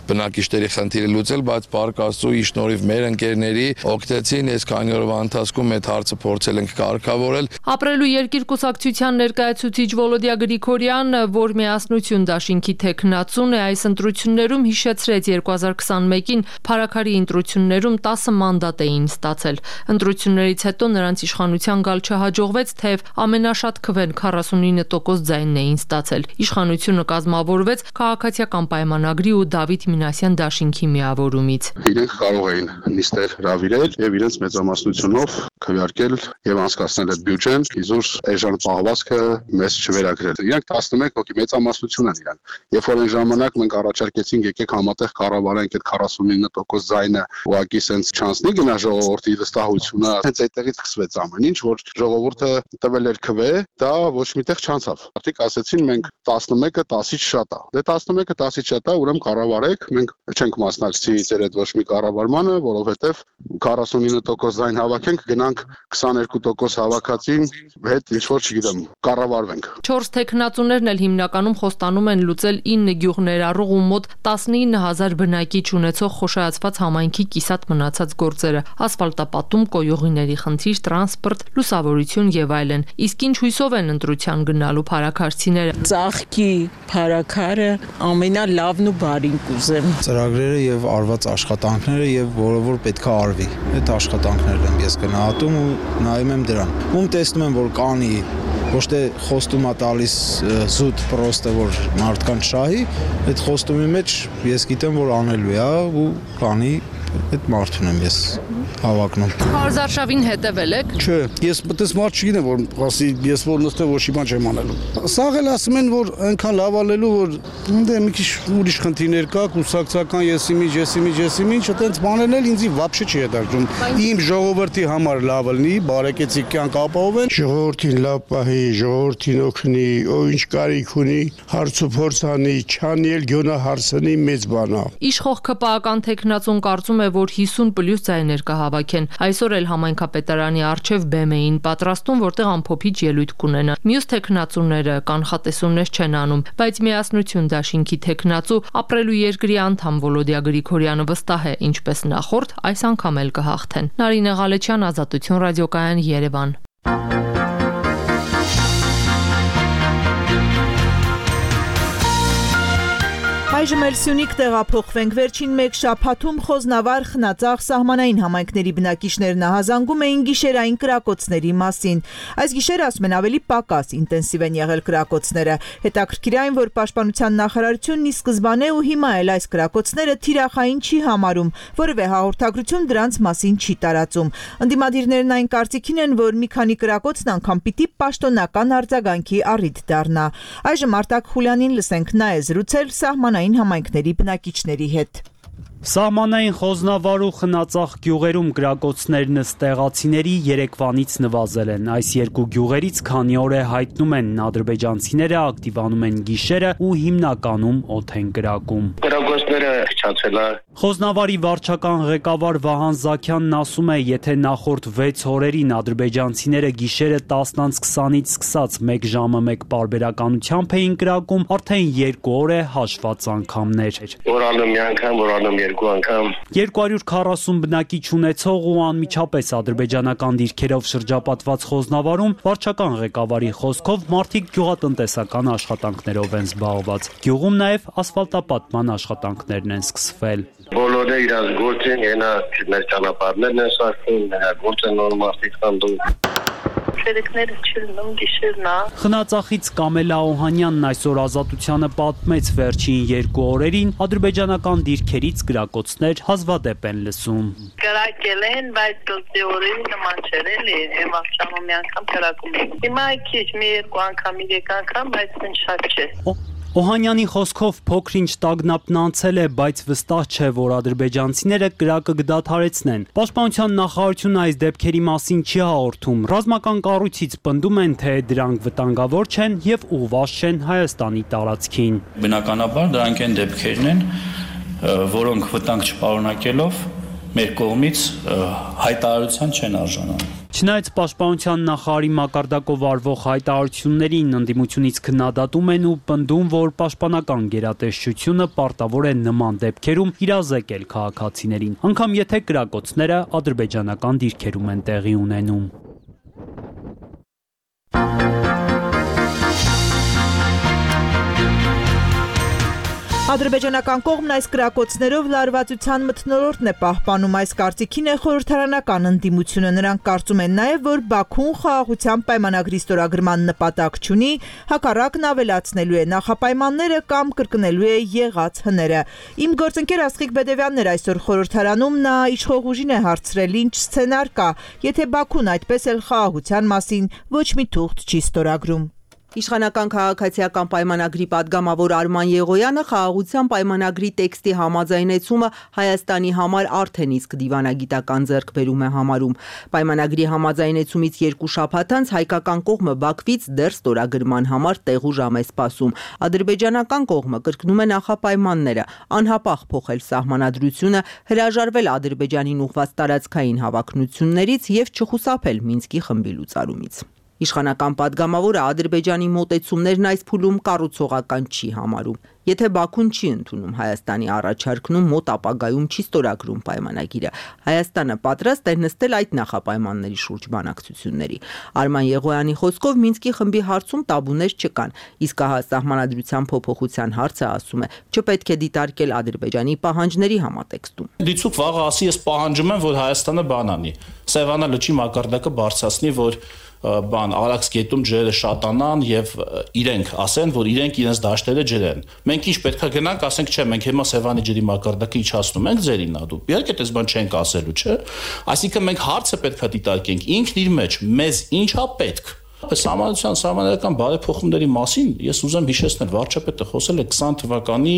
բնակիչների խնդիրը լուծել, բայց Փառք Աստծո շնորհիվ մեր ընկերների օգնեցին այս քանի օրվա ընթացքում այդ հարցը փորձել ենք կարգավորել։ Ապրելու երկիր կուսակցության ներկայացուցիչ Վոլոդիա Գրիգորյանը, որ միասնություն դաշինքի թեկնածուն է, այս ընտրություններում հիշեցրեց երկու հազար քսանմեկին փարաքարի ընտրություններում տասը մանդատ ազատ էին ստացել։ Ընտրություններից հետո նրանց իշխանության գալ չհաջողվեց, թեև ամենաշատ քվեն քառասունինը տոկոս ձայնն էին ստացել։ Իշխանությունը կազմավորվեց քաղաքացիական պայմանագրի ու Դավիթ Մինասյան դաշինքի միավորումից։ Իրենք կարող էին նիստեր հրավիրել եւ իրենց մեծամասնությունով քվեարկել եւ անցկացնել այդ բյուջեն, իզուր այժմ պահվածքը մեզ չվերագրել։ Իրանք տասնմեկ հոգի մեծամասնություն են իրանք։ Երբ որ այն ժամանակ մենք առաջարկեցինք եկեք համատեղ կառավարենք այդ քառասունինը տոկոս ձայնը, ուղղակի սենց չանցնի գնա ժողովրդի վստահությունը, հենց այդտեղից սկսվեց ամեն ինչ, որ ժողովուրդը տվել էր քվե, դա ոչ միտեղ չանցավ։ Արդյոք ասեցին մենք տասնմեկը տասից շատ է։ Դե տասնմեկը տասից շատ է, ուրեմն կառավարեք, մենք չենք մասնակցի ձեր այդ ոչ մի կառավարմանը, որովհետեւ քառասունինը տոկոս ձայն հավաքենք, գնանք քսաներկու տոկոս հավաքածին հետ ինչ որ չգիտեմ, կառավարվենք։ Չորս տեխնացուներն էլ հիմնականում խոստանում են լուծել ինը գյուղ ներառող ու մոտ տասնինը հազար բնակիչ ունեցող խոշայացված համայնքի կիսատ մնացած գործերը՝ ասֆալտապատում, կոյուղիների խնդիր, տրանսպորտ, լուսավորություն եւ այլն։ Իսկ ինչ հույսով են ընտրության գնալու փարաքարցիները։ Ծաղկի փարաքարը ամենալավն ու բարին կուզեմ։ Ծրագրերը եւ արված աշխատանքները եւ որը որ պետքա արվի։ Այդ աշխատանքներն եմ ես գնահատում ու նայում եմ դրան։ Ում տեսնում եմ որ կանի ոչ թե խոստումա տալիս զուտ պրոստը որ մարդկանց շահի, այդ խոստումի մեջ ես գիտեմ որ անելու է ու կանի այդ մարդուն եմ ես հավակնում։ Հարզարշավին հետևել եք։ Չէ, ես մտես մարդ չգիտեմ որ ասի ես որ նստեմ ոչ մի բան չեմ անելու։ Սաղ էլ ասում են որ այնքան լավ ալելու որ դե մի քիչ ուրիշ խնդիրներ կա, կուսակցական եսի միջ, եսի միջ, եսի միջ, այտենց բաներն էլ ինձի վաբշե չի հետաքրքրում։ Իմ ժողովրդի համար լավ լինի, բարեկեցիկ կյանք ապահովեն։ Ժողովրդին լավ պահի, ժողովրդին օգնի, ով ինչ կարիք ունի, հարց ու փորձ անի, չանի էլ գոնա հարցնի մեծ բանա։ Իշխող ԿՊԱ-ական տեխնացուն կարծում է որ հիսուն պլյուս ձայներ կհավաքեն։ Այսօր էլ համայնքապետարանի առջև բեմ էին պատրաստում, որտեղ ամփոփիչ ելույթ կունենան։ Մյուս տեխնացուները կանխատեսումներ չեն անում, բայց միասնություն դաշինքի տեխնացու ապրելու երկրի անդամ Վոլոդիա Գրիգորյանը վստահ է, ինչպես նախորդ, այս անգամ էլ կհաղթեն։ Նարինե Ղալեչյան, Ազատություն ռադիոկայան, Երևան։ Այժմ էլ Սյունիք տեղափոխվենք։ Վերջին մեկ շաբաթում Խոզնավար, Խնածախ սահմանային համայնքների բնակիչներն ահազանգում էին գիշերային կրակոցների մասին։ Այս գիշեր ասում են ավելի պակաս ինտենսիվ են եղել կրակոցները։ Հետաքրքիր այն, որ Պաշտպանության նախարարությունն ի սկզբանե ու հիմա էլ այս կրակոցները թիրախային չի համարում, որևէ հաղորդագրություն դրանց մասին չի տարածում։ Ընդդիմադիրներն այն կարծիքին են, որ մի քանի կրակոցն անգամ պիտի պաշտոնական արձագանքի առիթ դառնա։ Այժմ Արտակ Խուլյանին լսենք, նա է զրուցել սահմանային համայնքների բնակիչների հետ։ Սահմանային Խոզնավար ու Խնածախ գյուղերում կրակոցներն ստեղացիների երեկվանից նվազել են։ Այս երկու գյուղերից քանի օր է հայտնում են ադրբեջանցիները ակտիվանում են գիշերը ու հիմնականում օդ են կրակում։ Կրակոցները չացել է։ Խոզնավարի վարչական ղեկավար Վահան Զաքյանն ասում է, եթե նախորդ վեց օրերին ադրբեջանցիները գիշերը տասնից քսանից սկսած մեկ ժամը մեկ պարբերականությամբ էին կրակում, արդեն երկու օր է հաշված անգամներ։ Որ անում մի անգամ, որ անում երկու անգամ։ երկու հարյուր քառասուն բնակիչ ունեցող ու անմիջապես ադրբեջանական դիրքերով շրջապատված Խոզնավարում վարչական ղեկավարի խոսքով մարդիկ գյուղատնտեսական աշխատանքներով են զբաղված։ Գյուղում նաև ասֆալտապատման աշխատանքներն են սկսվել։ Բոլորը իրաց գործեն, ենա մեր ճանապարհներն են սարքում, նրա գործը նոր մարդիկ կանդում։ Շերիկները չլնում գիշերնա։ Խնածախից Կամելա Օհանյանն այսօր Ազատությանը պատմեց վերջին երկու օրերին ադրբեջանական դիրքերից գրակոցներ հազվադեպ են լսում։ Գրակել են, բայց դուք օրերի նման չէր էլի, եմ աղջանում մի անգամ գրակում են։ Հիմա քիչ մի երկու անգամ, երեք անգամ, բայց ինչ շատ չէ։ Օհանյանի խոսքով փոքր-ինչ տագնապն անցել է, բայց վստահ չէ, որ ադրբեջանցիները կրակը կդադարեցնեն։ Պաշտպանության նախարարությունը այս դեպքերի մասին չի հաղորդում։ Ռազմական կառույցից պնդում են, թե դրանք վտանգավոր չեն եւ ուղղված չեն Հայաստանի տարածքին։ Բնականաբար դրանք են դեպքերն են, որոնք վտանգ չպարունակելով մեր կողմից հայտարարության չեն արժանանում։ Չնայած Պաշտպանության նախարարի մակարդակով արվող հայտարարություններին ընդդիմությունից քննադատում են ու պնդում, որ պաշտպանական գերատեսչությունը պարտավոր է նման դեպքերում իրազեկել քաղաքացիներին, անգամ եթե կրակոցները ադրբեջանական դիրքերում են տեղի ունենում։ Ադրբեջանական կողմն այս կրակոցներով լարվածության մթնոլորտն է պահպանում, այս կարծիքին է խորհրդարանական ընդդիմությունը, նրանք կարծում են նաև, որ Բաքուն խաղաղության պայմանագրի ստորագրման նպատակ չունի, հակառակն ավելացնելու է նախապայմանները կամ կրկնելու է եղած հները։ Իմ գործընկեր Աստղիկ Բեդևյանն էր այսօր խորհրդարանում, նա իշխող ուժին է հարցրել, ինչ սցենար կա, եթե Բաքուն այդպես էլ խաղաղության մասին ոչ մի թուղթ չի ստորագրում։ Իշխանական քաղաքացիական պայմանագրի падգամավոր Արման Եղոյանը խաղաղության պայմանագրի տեքստի համաձայնեցումը Հայաստանի համար արդեն իսկ դիվանագիտական ձեռքբերում է համարում։ Պայմանագրի համաձայնեցումից երկու շաբաթ անց հայկական կողմը Բաքվից դեռ ստորագրման համար տեղ ու ժամ է սպասում։ Ադրբեջանական կողմը կրկնում է նախապայմանները, անհապաղ փոխել սահմանադրությունը, հրաժարվել Ադրբեջանին ուղղված տարածքային հավակնություններից եւ չխուսափել Մինսկի խմբի լուծարումից։ Իշխանական падգամավորը Ադրբեջանի մոտեցումներն այս փուլում կառուցողական չի համարում։ Եթե Բաքուն չի ընդունում Հայաստանի առաջարկն ու մոտ ապագայում չի ստորագրում պայմանագիրը, Հայաստանը պատրաստ է նստել այդ նախապայմանների շուրջ բանակցությունների։ Արման Եղոյանի խոսքով Մինսկի խմբի հարցում տաբուներ չկան, իսկ ահա սահմանադրության փոփոխության հարցը, ասում է, չպետք է դիտարկել Ադրբեջանի պահանջների համատեքստում։ Դիցուկ վաղը ասի, ես պահանջում եմ, որ Հայաստանը բան անի։ Սևանա լճի մակարդակը բարձրացնի, որ բան Արաքս գետում ջրերը շատանան եւ իրենք ասեն, որ իրենք իրենց դաշտերը ջրեն։ Մենք ինչ պետքա գնանք, ասենք, չէ, մենք հիմա Սևանի ջրի մակարդակը իջացնում ենք ձերին ադու։ Իհարկե, դες բան չենք ասելու, չէ։ Այսինքն մենք հարցը պետքա դիտարկենք ինքն իր մեջ, մեզ ինչա պետք։ Սահմանության սահմանադրական բարեփոխումների մասին ես ուզեմ հիշեցնել, վարչապետը խոսել է քսան թվականի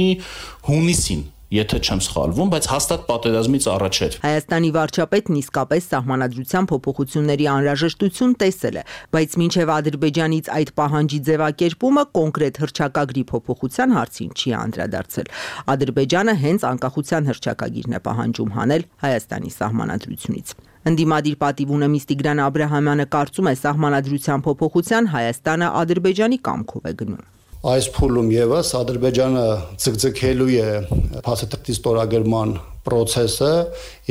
հունիսին, եթե չեմ սխալվում, բայց հաստատ պատերազմից առաջ էր։ Հայաստանի վարչապետն իսկապես սահմանադրության փոփոխությունների անհրաժեշտություն տեսել է, բայց մինչև Ադրբեջանից այդ պահանջի ձևակերպումը կոնկրետ հռչակագրի փոփոխության հարցին չի անդրադարձել։ Ադրբեջանը հենց անկախության հռչակագիրն է պահանջում հանել Հայաստանի սահմանադրությունից։ Ընդդիմադիր պատիվունը Տիգրան Աբրահամյանը կարծում է, սահմանադրության փոփոխության Հայաստանը Ադրբեջանի կամքով է գնում։ Այս փուլում եւս Ադրբեջանը ցկցկելու է փաստաթղթի ստորագրման process-ը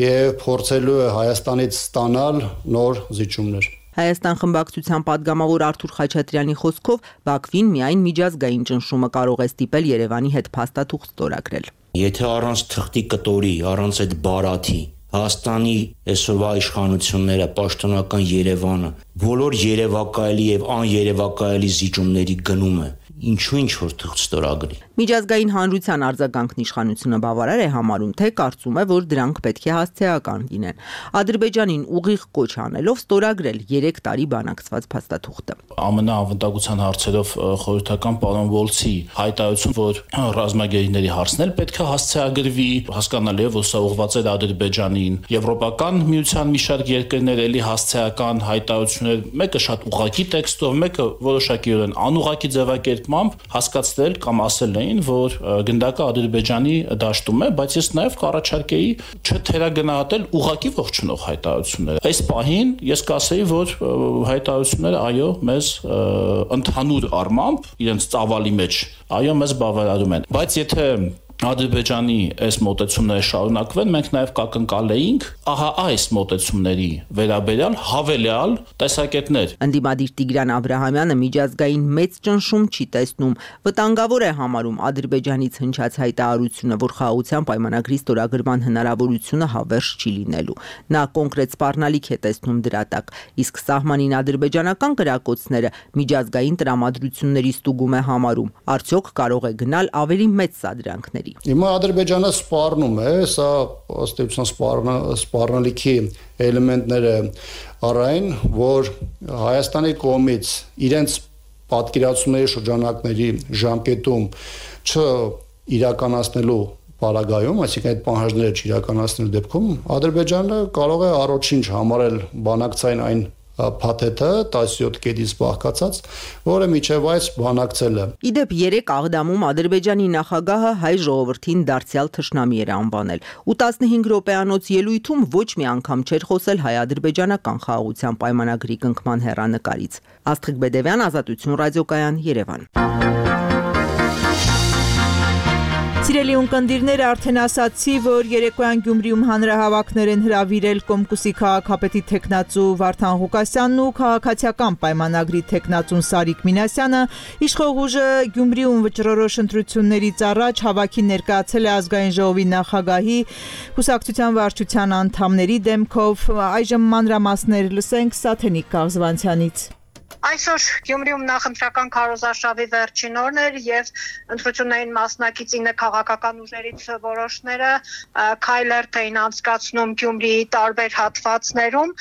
եւ փորձելու է Հայաստանից ստանալ նոր զիջումներ։ Հայաստան խմբակցության падգամավոր Արթուր Խաչատրյանի խոսքով Բաքվին միայն միջազգային ճնշումը կարող է ստիպել Երևանի հետ փաստաթուղթ ստորագրել։ Եթե առանց թղթի կտորի, առանց այդ բարաթի Հայաստանի այսօրվա իշխանությունները, պաշտոնական Երևանը, բոլոր երևակայելի եւ աներևակայելի զիջումների գնում է, ինչու ինչ որ թղթ ստորագրի։ Միջազգային հանրության արձագանքն իշխանությունը բավարար է համարում, թե կարծում է, որ դրանք պետք է հասցեական լինեն։ Ադրբեջանին ուղիղ կոչ անելով ստորագրել երեք տարի բանակցված փաստաթուղթը։ Ամենաանվտանգության հարցերով խորհրդական պարոն Վոլցի հայտարարություն, որ ռազմագերիների հարցն էլ պետք է հասցեագրվի, հասկանալի է, որ սա ուղղված է Ադրբեջանին։ Եվրոպական միության մի շարք երկրներ էլի հասցեական հայտարարություններ, մեկը շատ ուղղակի տեքստով, մեկը որոշակիորեն անուղղակի ձևակերպմամբ հասկացնել կամ ասել էին, որ գնդակը Ադրբեջանի դաշտում է, բայց ես նաև կառաջարկեի չթերագնահատել ուղղակի ողջունող հայտարարությունները։ Այս պահին ես կասեի, որ հայտարարությունները այո, մեզ ընդհանուր առմամբ իրենց ծավալի մեջ այո, մեզ բավարարում են, բայց եթե Ադրբեջանի այս մոտեցումները շարունակվեն, մենք նաև կակնկալեինք ահա այս մոտեցումների վերաբերյալ հավելյալ տեսակետներ։ Ընդդիմադիր Տիգրան Աբրահամյանը միջազգային մեծ ճնշում չի տեսնում, վտանգավոր է համարում Ադրբեջանից հնչած հայտարարությունը, որ խաղաղության պայմանագրի ստորագրման հնարավորությունը հավերժ չի լինելու։ Նա կոնկրետ սպառնալիք է տեսնում դրա տակ, իսկ սահմանին ադրբեջանական կրակոցները միջազգային տրամադրությունների ստուգում է համարում։ Արդյոք կարող է գնալ ավելի մեծ սադրանքների։ Հիմա Ադրբեջանը սպառնում է, սա ըստ էության սպառնալիքի էլեմենտները առայն, որ Հայաստանի կողմից իրենց պատկերացումների շրջանակների ժամկետում չիրականացնելու պարագայում, այսինքն այդ պահանջները չիրականացնելու դեպքում Ադրբեջանը կարող է առաջինչ համարել բանակցային այն փաթեթը տասնյոթ կետից բաղկացած, որը միջև այս բանակցել է։ Իդեպ երեք Աղդամում Ադրբեջանի նախագահը հայ ժողովրդին դարձյալ թշնամի էր անվանել, ու տասնհինգ րոպեանոց ելույթում ոչ մի անգամ չէր խոսել հայ-ադրբեջանական խաղաղության պայմանագրի կնքման հեռանկարից։ Աստղիկ Բեդևյան, Ազատություն ռադիոկայան, Երևան։ Սիրելի ունկնդիրներ, արդեն ասացի, որ երեկոյան Գյումրիում հանրահավաքներ են հրավիրել Կոմկուսի քաղաքապետի թեկնածու Վարդան Ղուկասյանն ու քաղաքացիական պայմանագրի թեկնածուն Սարիկ Մինասյանը, իշխող ուժը Գյումրիում վճռորոշ ընտրություններից առաջ հավաքին ներկայացել է ազգային ժողովի նախագահի, կուսակցության վարչության անդամների դեմքով, այժմ մանրամասներ լսենք Սաթենիկ Կաղզվանցյանից։ Այսօր Գյումրիում նախընտրական քարոզարշավի վերջին օրն էր եւ ընտրություններին մասնակից ինը քաղաքական ուժերից որոշները քայլերթ էին անցկացնում Գյումրիի տարբեր հատվածներում։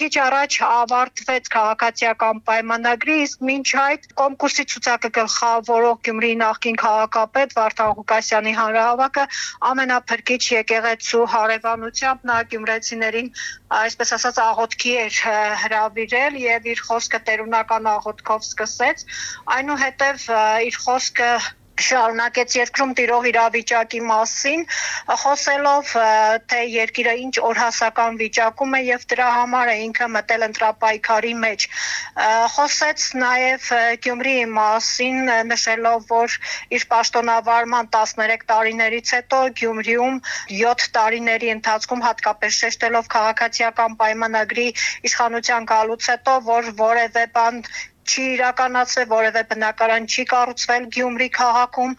Քիչ առաջ ավարտվեց քաղաքացիական պայմանագրի, իսկ մինչ այդ Կոմկուսի ցուցակը գլխավորող Գյումրիի նախկին քաղաքապետ Վարդան Ղուկասյանի հանրահավաքը ամենափրկիչ եկեղեցու հարևանությամբ նա գյումրեցիներին, այսպես ասած, աղոթքի էր հրավիրել եւ իր խոսքը տերունական աղոթքով սկսեց, այնուհետև իր խոսքը շարունակեց երկրում տիրող իրավիճակի մասին, խոսելով, թե երկիրը ինչ օրհասական վիճակում է եւ դրա համար է ինքը մտել ընտրապայքարի մեջ։ Խոսեց նաեւ Գյումրիի մասին, նշելով, որ իր պաշտոնավարման տասներեք տարիներից հետո Գյումրիում յոթ տարիների ընթացքում հատկապես շեշտելով քաղաքացիական պայմանագրի իշխանության գալուց հետո, որ որևէ բան չի իրականացվել, որևէ բնակարան չի կառուցվել Գյումրի քաղաքում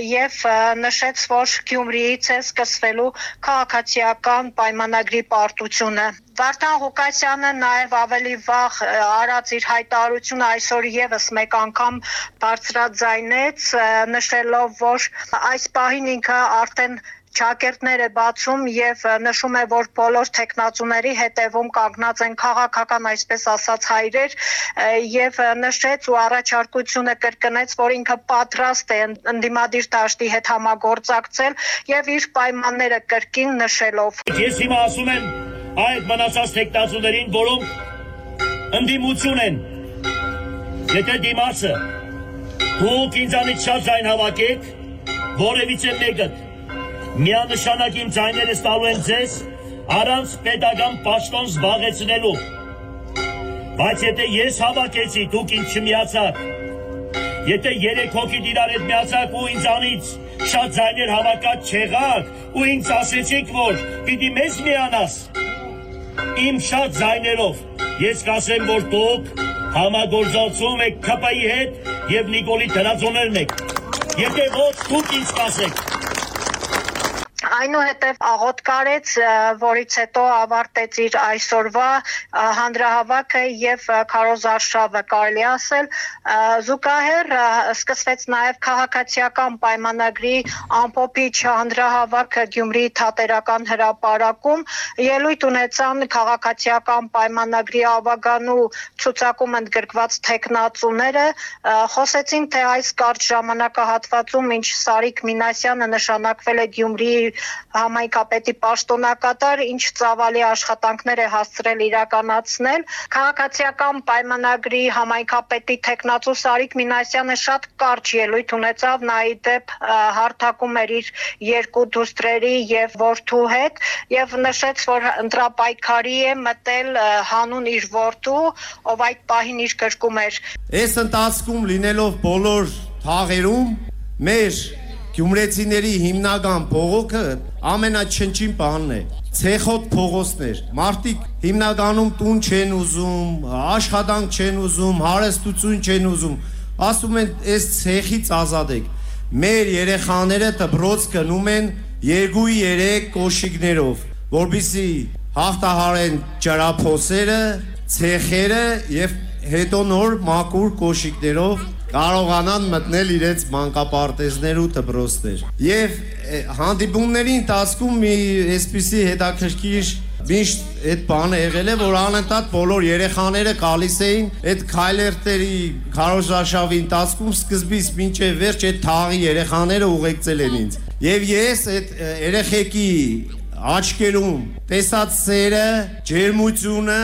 եւ նշեց, որ Գյումրիից է սկսվելու քաղաքացիական պայմանագրի պարտությունը։ Վարդան Ղուկասյանը նաև ավելի վաղ արած իր հայտարարությունը այսօր եւս մեկ անգամ բարձրաձայնեց, նշելով, որ այս պահին ինքը արդեն ճակերտներ է բացում եւ նշում է, որ բոլոր տեխնացուների հետևում կանգնած են քաղաքական, այսպես ասած, հայրեր եւ նշեց ու առաջարկությունը կրկնեց, որ ինքը պատրաստ է ընդդիմադիր դաշտի հետ համագործակցել եւ իր պայմանները կրկին նշելով։ Ես հիմա ասում եմ այդ մնացած տեխնացուներին, որոնք ընդդիմություն են, եթե դիմացը դուք ինձանից շատ ձայն հավաքեք, որևիցե մեկը միանշանակ իմ ձայները ստալու են ձեզ առանց պետական պաշտոն զբաղեցնելու, բայց եթե ես հավաքեցի, դուք ինձ չմիացաք, եթե երեք հոգի իրար հետ միացաք ու ինձանից շատ ձայներ հավաքած չեղաք ու ինձ ասեցիք, որ պիտի մեզ միանաս, իմ շատ ձայներով ես կասեմ, որ դուք համագործակցում եք K P I-ի հետ եւ Նիկոլի դրածոներն եք, եթե ոչ դուք ինձ կասեք։ Այնուհետև աղոթք արեց, որից հետո ավարտեց իր այսօրվա հանրահավաքը եւ քարոզարշավը, կարելի ասել, զուգահեռ սկսվեց նաեւ քաղաքացիական պայմանագրի ամփոփիչ հանրահավաքը Գյումրիի թատերական հրապարակում, ելույթ ունեցան քաղաքացիական պայմանագրի ավագանու ցուցակում ընդգրկված տեխնացուները, խոսեցին, թե այս կարճ ժամանակահատվածում, ինչ Սարիկ Մինասյանը նշանակվել է Գյումրիի համայնքապետի պաշտոնակատար, ինչ ծավալի աշխատանքներ է հասցրել իրականացնել։ Քաղաքացիական պայմանագրի համայնքապետի տեխնացու Սարիկ Մինասյանը շատ կարճ ելույթ ունեցավ, նա ի դեպ հարթակում էր իր երկու դուստրերի եւ որդու հետ եւ նշեց, որ ընտրապայքարի է մտել հանուն իր որդու, ով այդ պահին իր գրկում էր։ Այս ընթացքում լինելով բոլոր թաղերում մեր Գյումրեցիների հիմնական փողոքը ամենաչնչին բանն է, ցեխոտ փողոցներ, մարդիկ հիմնականում տուն չեն ուզում, աշխատանք չեն ուզում, հարստություն չեն ուզում, ասում են այս ցեխից ազատեք, մեր երեխաները դպրոց գնում են երկու երեք կոշիկներով, որպեսզի հաղթահարեն ջրափոսերը, ցեխերը եւ հետո նոր մաքուր կոշիկներով կարողանան մտնել իրենց մանկապարտեզներ ու դպրոցներ։ Եվ հանդիպումների ընթացքում մի այսպիսի հետաքրքիր միշտ այդ բանը եղել է, որ անընդհատ բոլոր երեխաները գալիս էին այդ քայլերթերի քարոզարշավի ընթացքում սկզբից մինչև վերջ այդ թաղի երեխաները ուղեկցել են ինձ։ Եվ ես այդ երեխեքի աչքերում տեսած սերը, ջերմությունը,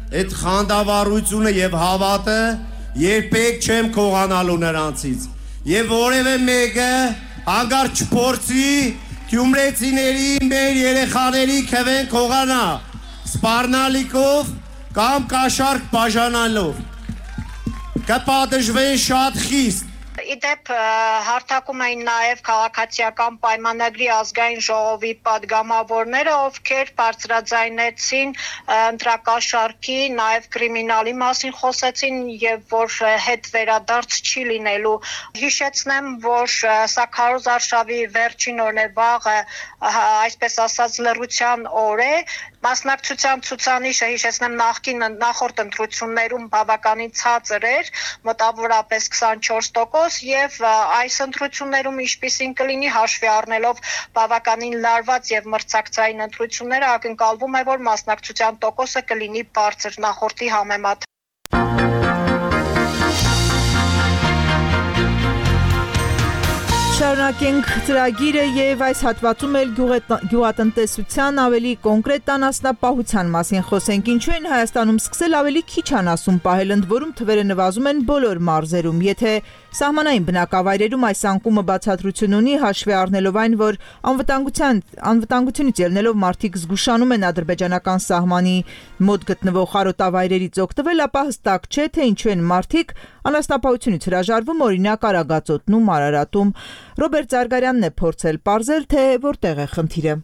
այդ խանդավառությունը եւ հավատը երբեք չեմ քողանալու նրանցից եւ որևէ մեկը հանգարց չփորձի գյումրեցիների մեր երեխաների քվեն քողանա սպառնալիքով կամ կաշառք բաժանալով կպատժվեն շատ խիստ։ դեպ հարթակում էին նաև քաղաքացիական պայմանագրի ազգային ժողովի պատգամավորները, ովքեր բարձրաձայնեցին ընտրակաշառքի, նաև կրիմինալի մասին խոսեցին եւ որ հետ վերադարձ չի լինելու։ Հիշեցնեմ, որ սա Քարոզ արշավի վերջին օրն է, վաղը, այսպես ասած, լռության օր է։ Մասնակցության ցուցանիշը հիշեցնեմ նախկին նախորդ ընտրություններում բավականին ցածր էր, մոտավորապես քսանչորս տոկոս եւ այս ընտրություններում ինչպիսին կլինի հաշվի առնելով բավականին լարված եւ մրցակցային ընտրությունները ակնկալվում է, որ մասնակցության տոկոսը կլինի բարձր նախորդի համեմատ։ Շարունակենք ծրագիրը եւ այս հատվածում էլ գյուղատնտեսության ավելի կոնկրետ անասնապահության մասին խոսենք։ Ինչու են Հայաստանում սկսել ավելի քիչ անասուն պահել, ընդ որում թվերը նվազում են բոլոր մարզերում։ Եթե սահմանային բնակավայրերում այս անկումը բացատրություն ունի, հաշվի առնելով այն, որ անվտանգության անվտանգությունից ելնելով մարդիկ զգուշանում են ադրբեջանական սահմանի մոտ գտնվող խարոտավայրերից օգտվել, ապա հստակ չէ, թե ինչու են մարդիկ անասնապահությունից հրաժարվում, օրինակ Արագածոտնում, Արարատում։ Ռոբերտ Զարգարյանն է փորձել պարզել, թե որտեղ է խնդիրը։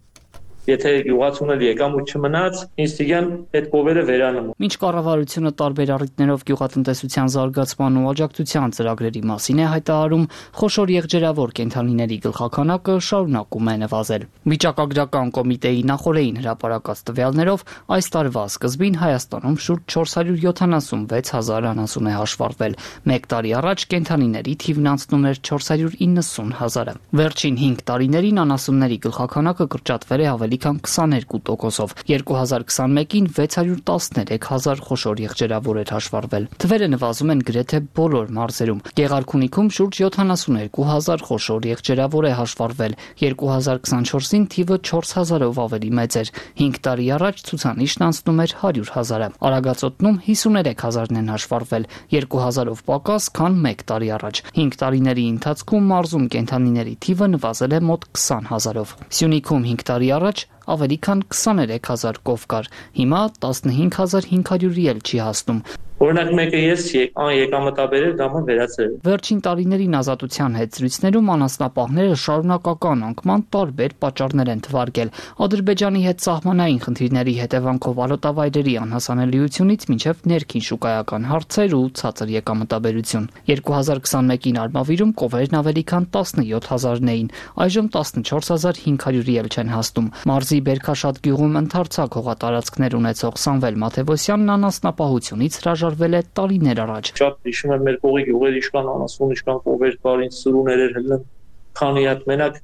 Եթե յուղացուն էլ եկամուտ չմնաց, ինստիգյան այդ կովերը վերանում։ Մինչ կառավարությունը տարբեր առիթներով գյուղատնտեսության զարգացման ու աջակցության ծրագրերի մասին է հայտարարում, խոշոր եղջերավոր կենդանիների գլխաքանակը շարունակում է նվազել։ Վիճակագրական կոմիտեի նախորդին հրապարակած տվյալներով այս տարվա սկզբին Հայաստանում շուրջ չորս հարյուր յոթանասունվեց հազար անասուն է հաշվառվել։ Մեկ տարի առաջ կենդանիների թիվն անցնում էր չորս հարյուր իննսուն հազարը։ Վերջին հինգ տարիներին անասունների գլխաքանակը կրճատվել է ավելի քան քսաներկու տոկոսով։ երկու հազար քսանմեկին վեց հարյուր տասներեք հազար խոշոր եղջերավոր էր հաշվառվել։ Թվերը նվազում են գրեթե բոլոր մարզերում։ Գեղարքունիքում շուրջ յոթանասուներկու հազար խոշոր եղջերավոր է հաշվառվել։ երկու հազար քսանչորսին թիվը չորս հազարով ավելի մեծ էր։ հինգ տարի առաջ ցուցանիշն անցնում էր հարյուր հազարը։ Արագածոտնում հիսուներեք հազարն են հաշվառվել, երկու հազարով պակաս, քան մեկ տարի առաջ։ հինգ տարիների ընթացքում մարզում կենդանիների թիվը նվազել է մոտ քսան հազարով։ Սյունիքում հինգ տարի առաջ ավելի քան քսաներեք հազար կով կար, հիմա տասնհինգ հազար հինգ հարյուրի էլ չի հասնում։ Օրինակ մեկը ես եկամտաբերել գամը վերացրել։ Վերջին տարիներին ազատության հետ զրույցներում անասնապահները շարունակական անկման տարբեր պատճառներ են թվարկել։ Ադրբեջանի հետ սահմանային խնդիրների հետևանքով արոտավայրերի անհասանելիությունից մինչև ներքին շուկայական հարցեր ու ցածր եկամտաբերություն։ երկու հազար քսանմեկին Արմավիրում կովերն ավելի քան տասնյոթ հազարն էին, այժմ տասնչորս հազար հինգ հարյուրի էլ չեն հասնում։ Մարզի Բերքաշատ գյուղում ընդարձակ հողատարածքներ ունեցող Սամվել Մաթևոսյանն անասնապահությունից հրաժարվել է տարիներ առաջ։ Շատ հիշում եմ մեր կողի գյուղեր իշքան անասուն, իշքան կովեր կար, ինչ սուրուներ էր հելն, քանի հատ մենակ,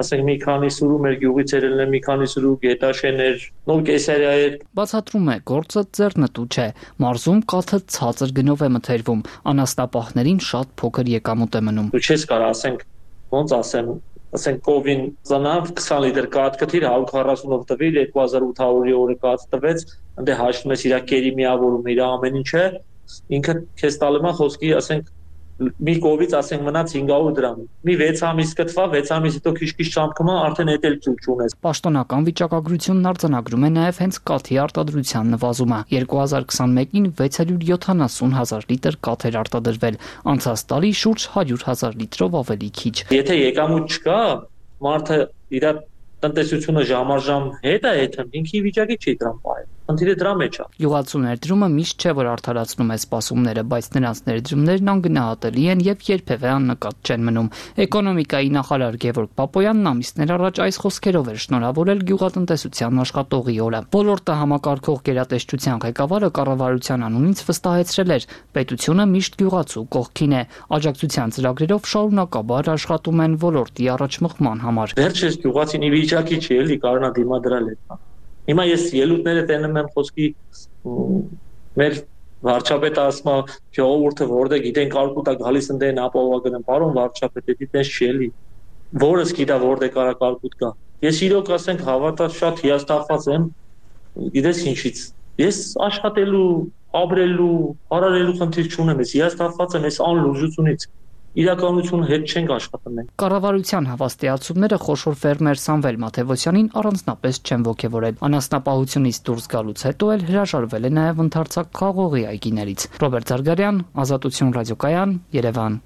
ասենք մի քանի սուրու մեր գյուղից էր հելն, մի քանի սուրու գետաշեներ, նոր կեսարիա էր։ Բացատրում է, գործը ձեռնտու չէ։ Մարզում կաթը ցածր գնով է մթերվում, անասնապահներին շատ փոքր եկամուտ է մնում։ Դու չես կարող ասենք, ոնց ասեմ, ասենք կովին ծնավ քսան լիտր կաթ կթիր հարյուր քառասունով տվիր, երկու հազար ութ հարյուրի օրը կաթ տվեց, ընդ հաշվում ես իր կերի միավորում, իր ամեն ինչը, ինքը քեզ տալու է խոսքի, ասենք մի կովից ասենք մնաց հինգ հարյուր դրամ։ Մի վեց ամիս կտվա, վեց ամիս հետո քիչ-քիչ ճամփկումա, արդեն էդ էլ ծուլ չունես։ Պաշտոնական վիճակագրությունն արձանագրում է նաև հենց կաթի արտադրության նվազումը։ երկու հազար քսանմեկին վեց հարյուր յոթանասուն հազար լիտր կաթ էր արտադրվել, անցած տարի շուրջ հարյուր հազար լիտրով ավելի քիչ։ Եթե եկամուտ չկա, մարդը իր տնտեսությունը ժամաժամ հետ է եթեմ, ինքի վիճակի չի դրամ պահել։ Խնդիրը դրա մեջ է։ Գյուղացու ներդրումը միշտ չէ, որ արդարացնում է սպասումները, բայց նրանց ներդրումներն անգնահատելի են եւ երբևէ աննկատ չեն մնում։ Էկոնոմիկայի նախարար Գևորգ Պապոյանն ամիսներ առաջ այս խոսքերով էր շնորհավորել գյուղատնտեսության աշխատողի օրը։ Ոլորտը համակարգող գերատեսչության ղեկավարը կառավարության անունից վստահեցրել էր, պետությունը միշտ գյուղացու կողքին է։ Աջակցության ծրագրերով շարունակաբար աշխատում են ոլորտի առաջմղման համար։ Վերջերս գյուղացին ի վիճակի չի էլի կարողանա դիմադրել այդ։ Հիմա ես ելույթները տենում եմ խոսքի մեր վարչապետը ասում է ժողովուրդը որտեղ գիտեն կարկուտա գալիս ընդեն ապահովագնեմ պարոն վարչապետ դի տես չի էլի որս գիտա որտեղ կարա կարկուտ կա ես իրոք ասենք հավատալ շատ հիասթափված եմ գիտես ինչից ես աշխատելու ապրելու հարարելու խնդիր չունեմ ես հիասթափված եմ այս անլուծությունից իրականությունը հետ չենք աշխատում մենք։ Կառավարության հավաստիացումները խոշոր ֆերմեր Սամվել Մաթևոսյանին առանձնապես չեն ոգևորել։ Անասնապահությունից դուրս գալուց հետո էլ հրաժարվել է նաև ընդարձակ խաղողի այգիներից։ Ռոբերտ Զարգարյան, Ազատություն ռադիոկայան, Երևան։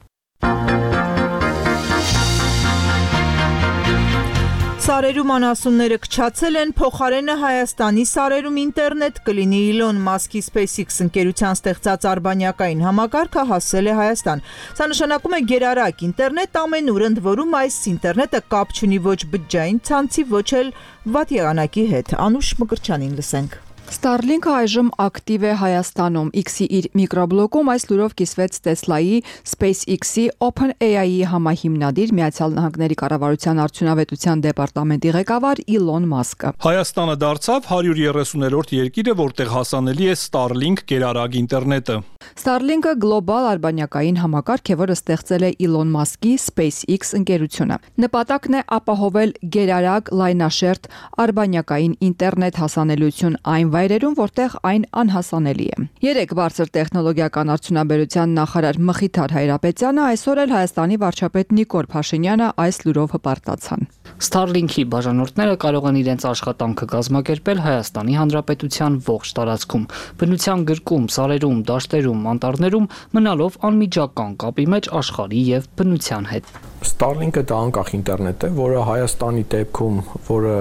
Սարերում անասունները քչացել են, փոխարենը Հայաստանի սարերում ինտերնետ կլինի։ Իլոն Մասկի SpaceX ընկերության ստեղծած արբանյակային համակարգը հասել է Հայաստան։ Սա նշանակում է գերարագ ինտերնետ ամենուր, ընդ որում այս ինտերնետը կապ չունի ոչ բջջային ցանցի, ոչ էլ վատ եղանակի հետ։ Անուշ Մկրչյանին լսենք։ Starlink-ը այժմ ակտիվ է Հայաստանում։ X-ի իր միկրոբլոկում այս լուրով կիսվեց Tesla-ի, SpaceX-ի, OpenAI-ի համահիմնադիր Միացյալ Նահանգների կառավարության արդյունավետության դեպարտամենտի ղեկավար Իլոն Մասկը։ Հայաստանը դարձավ հարյուր երեսուներորդ երկիրը, որտեղ հասանելի է Starlink գերարագ ինտերնետը։ Starlink-ը գլոբալ արբանյակային համակարգ է, որը ստեղծել է Իլոն Մասկի SpaceX ընկերությունը։ Նպատակն է ապահովել գերարագ լայնաշերտ արբանյակային ինտերնետ հասանելիություն այն վայրերում, որտեղ այն անհասանելի է։ Երեք բարձր տեխնոլոգիական արդյունաբերության նախարար Մխիթար Հայրապետյանը այսօր էլ Հայաստանի վարչապետ Նիկոլ Փաշինյանը այս լուրով հպարտացան։ Starlink-ի բաժանորդները կարող են իրենց աշխատանքը կազմակերպել Հայաստանի Հանրապետության ողջ տարածքում, բնության գրկում, սարերում, դաշտերում, անտառներում, մնալով անմիջական կապի մեջ աշխարհի եւ բնության հետ։ Starlink-ը դա անկախ ինտերնետ է, որը Հայաստանի դեպքում, որը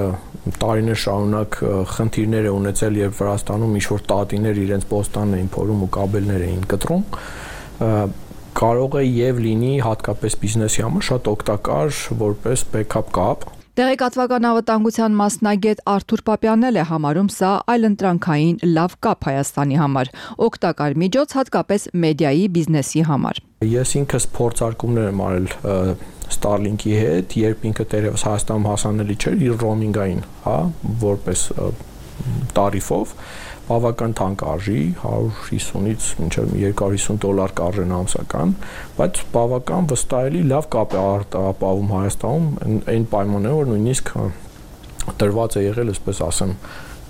տարիներ շարունակ խնդիրներ է ունեցել, երբ Վրաստանում ինչ-որ տատիներ իրենց պոստանն էին փորում ու կաբելներ էին կտրում, կարող է եւ լինի հատկապես բիզնեսի համար շատ օգտակար որպես backup կապ։ Տեղեկատվական անվտանգության մասնագետ Արթուր Պապյանն էլ է համարում սա այլընտրանքային լավ կապ Հայաստանի համար, օգտակար միջոց հատկապես մեդիայի բիզնեսի համար։ Ես ինքս փորձարկումներ եմ արել Starlink-ի հետ, երբ ինքը դեռևս Հայաստանում հասանելի չէր իր ռոմինգային, հա, որպես տարիֆով, բավական թանկ արժի, հարյուր հիսունից մինչև երկու հարյուր հիսուն դոլար կարժեն ամսական, բայց բավական վստահելի լավ կապ է ապահովում Հայաստանում այն պայմաններով, որ նույնիսկ տրված է եղել, այսպես ասեմ,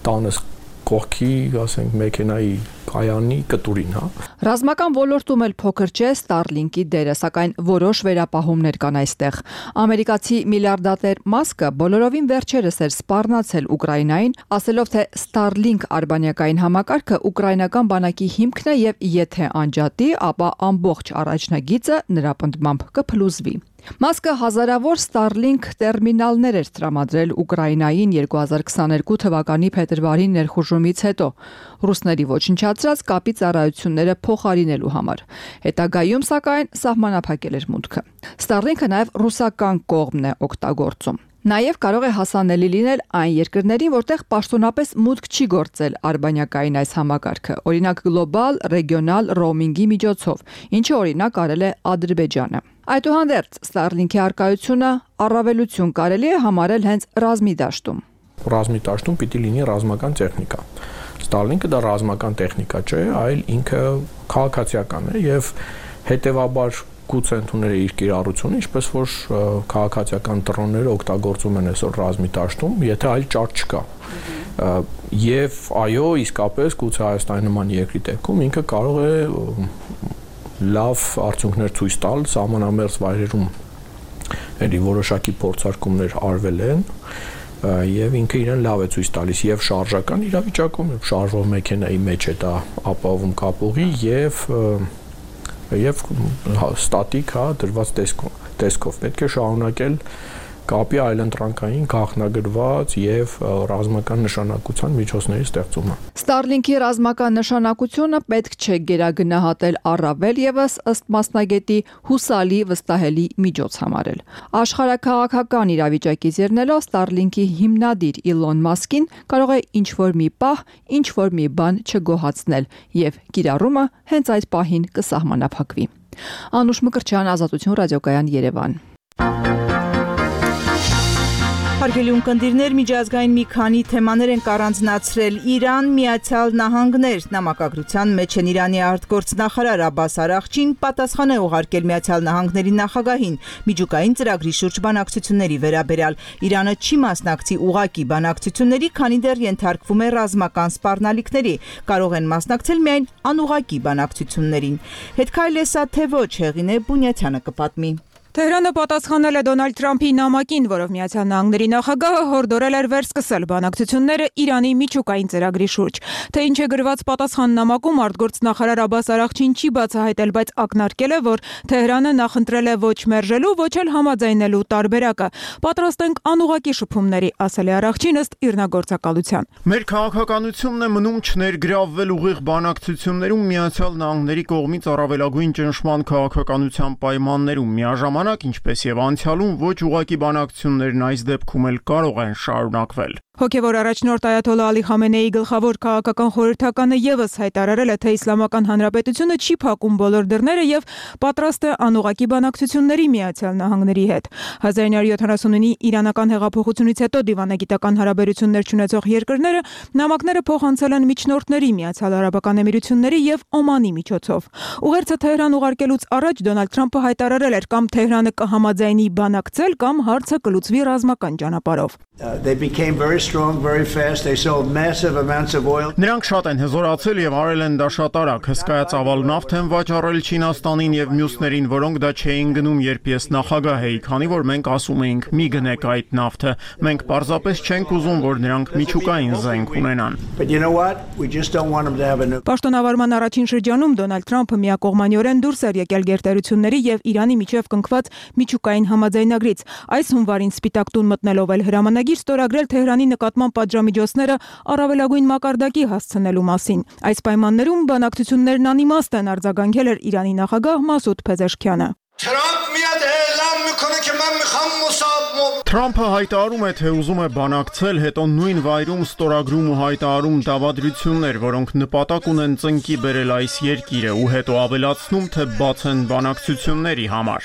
տանս կողքի, ասենք, մեքենայի կայանի կտուրին, հա։ Ռազմական ոլորտում էլ փոքր չէ Starlink-ի դերը, սակայն որոշ վերապահումներ կան այստեղ։ Ամերիկացի միլիարդատեր Մասկը բոլորովին վերջերս էր սպառնացել Ուկրաինային, ասելով, թե Starlink արբանյակային համակարգը ուկրաինական բանակի հիմքն է եւ եթե անջատի, ապա ամբողջ առաջնագիծը նրա պնդմամբ կփլուզվի։ Մասկը հազարավոր Starlink տերմինալներ էր տրամադրել Ուկրաինային երկու հազար քսաներկու թվականի փետրվարի ներխուժումից հետո, ռուսների ոչնչացրած կապի ծառայությունները փոխարինելու համար։ Հետագայում, սակայն, սահմանափակել էր մուտքը։ Starlink-ը նաև ռուսական կողմն է օգտագործում։ Նաև կարող է հասանելի լինել այն երկրներին, որտեղ պաշտոնապես մուտք չի գործել արբանյակային այս համակարգը, օրինակ գլոբալ, ռեգիոնալ ռոմինգի միջոցով, ինչը օրինակ արել է Ադրբեջանը։ Այդուհանդերձ Starlink-ի արկայությունը առավելություն կարելի է համարել հենց ռազմի դաշտում։ Ռազմի դաշտում պիտի լինի ռազմական տեխնիկա։ Starlink-ը դա ռազմական տեխնիկա չէ, այլ ինքը քաղաքացիական է եւ հետեւաբար գուցե ընդունել է իր կիրառությունը, ինչպես որ քաղաքացիական դրոնները օգտագործում են այսօր ռազմի դաշտում, եթե այլ ճարտ չկա։ Եվ այո, իսկապես գուցե Հայաստանի նման երկրի դեպքում ինքը կարող է լավ արդյունքներ ցույց տալ սահմանամերձ վայրերում, էլի որոշակի փորձարկումներ արվել են եւ ինքը իրեն լավ է ցույց տալիս եւ շարժական իրավիճակում, եւ շարժվող մեքենայի մեջ է դա ապահովում կապուղի եւ եւ ստատիկ, հա, դրված տեսքով, տեսքով պետք է շարունակել կապի այլընտրանքային գաղտնագրված եւ ռազմական նշանակության միջոցների ստեղծումը։ Starlink-ի ռազմական նշանակությունը պետք չէ գերագնահատել առավել եւս ըստ մասնագետի հուսալի վստահելի միջոց համարել։ Աշխարհաքաղաքական իրավիճակից ելնելով Starlink-ի հիմնադիր Իլոն Մասկին կարող է ինչ-որ մի պահ, ինչ-որ մի բան չգոհացնել եւ կիրառումը հենց այդ պահին կսահմանափակվի։ Անուշ Մկրչյան, Ազատություն ռադիոկայան, Երևան։ Հարգելի ունկնդիրներ, միջազգային մի քանի թեմաներ են առանձնացրել։ Իրան, Միացյալ Նահանգներ նամակագրության մեջ են Իրանի արտգործնախարար Աբբաս Արաղչին պատասխան է ուղարկել Միացյալ Նահանգների նախագահին միջուկային ծրագրի շուրջ բանակցությունների վերաբերյալ։ Իրանը չի մասնակցի ուղակի բանակցությունների, քանի դեռ ենթարկվում է ռազմական սպառնալիքների, կարող են մասնակցել միայն անուղակի բանակցություններին։ Հետքայլ է սա թե ոչ, Հեղինե Բունյաթյանը կպատմի։ Թեհրանը պատասխանել է Դոնալդ Թրամփի նամակին, որով Միացյալ Նահանգների նախագահը հորդորել էր վերսկսել բանակցությունները Իրանի միջուկային ծրագրի շուրջ։ Թե ինչ է գրված պատասխան նամակում, արտգործնախարար Աբբաս Արաղչին չի բացահայտել, բայց ակնարկել է, որ Թեհրանը նախընտրել է ոչ մերժելու, ոչ էլ համաձայնելու տարբերակը։ Պատրաստ ենք անուղղակի շփումների, ասել է Արաղչին ըստ իրնագործակալության։ Մեր քաղաքականությունն է մնում չներգրավվել ուղիղ բանակցություններում Միացյալ Նահանգների կողմից առավելագույն ճնշման քաղաքականության պայմաններում, միաժամանակ, ինչպես եւ անցյալում, ոչ ուղղակի բանակցություններն այս դեպքում էլ կարող են շարունակվել։ Հոգևոր առաջնորդ Այաթոլլա Ալի Խամենեի գլխավոր քաղաքական խորհրդականը եւս հայտարարել է, թե Իսլամական Հանրապետությունը չի փակում բոլոր դռները եւ պատրաստ է անուղղակի բանակցությունների Միացյալ Նահանգների հետ։ հազար իննյակ հարյուր յոթանասունինի իրանական հեղափոխությունից հետո դիվանագիտական հարաբերություններ ունեցող երկրները նամակները փոխանցել են միջնորդների Միացյալ Արաբական Էմիրությունների եւ Օմանի միջոցով։ Ուղերձը Թեհրան ուղարկելուց առաջ Դոնալդ Թրամփը հայտարարել էր, կամ Թեհրանը կհամաձայնի բանակցել, կամ հարցը կլուծվի ռազմական ճանապարհով։ They became very strong very fast. They sold massive amounts of oil. Նրանք շատ են հզորացել եւ արել են դա շատ արագ, հսկայածավալ նավթ են վաճառել Չինաստանին եւ մյուսներին, որոնք դա չէին գնում, երբ ես նախագահ էի, քանի որ մենք ասում էինք՝ մի գնեք այդ նավթը։ Մենք պարզապես չենք ուզում, որ նրանք միջուկային զենք ունենան։ But you know what? We just don't want them to have a new. Պաշտոնավարման առաջին շրջանում Դոնալդ Թրամփը միակողմանիորեն դուրս էր եկել գերտերությունների եւ Իրանի միջև կնքված միջուկային համաձայնագրից։ Այս հունվարին Սպիտակ տուն մտնելով էլ հրամանագիր ստորագրել Թեհրանի նկատմամբ պատժամիջոցները առավելագույն մակարդակի հասցնելու մասին։ Այս պայմաններում բանակցություններն անիմաստ են, արձագանքել էր Իրանի նախագահ Մասուդ Փեզեշքյանը։ Թրամփը հայտարարում է, թե ուզում է բանակցել, հետո նույն վայրում ստորագրում ու հայտարարում դավադրություններ, որոնք նպատակ ունեն ծնկի բերել այս երկիրը, ու հետո ավելացնում, թե բաց են բանակցությունների համար։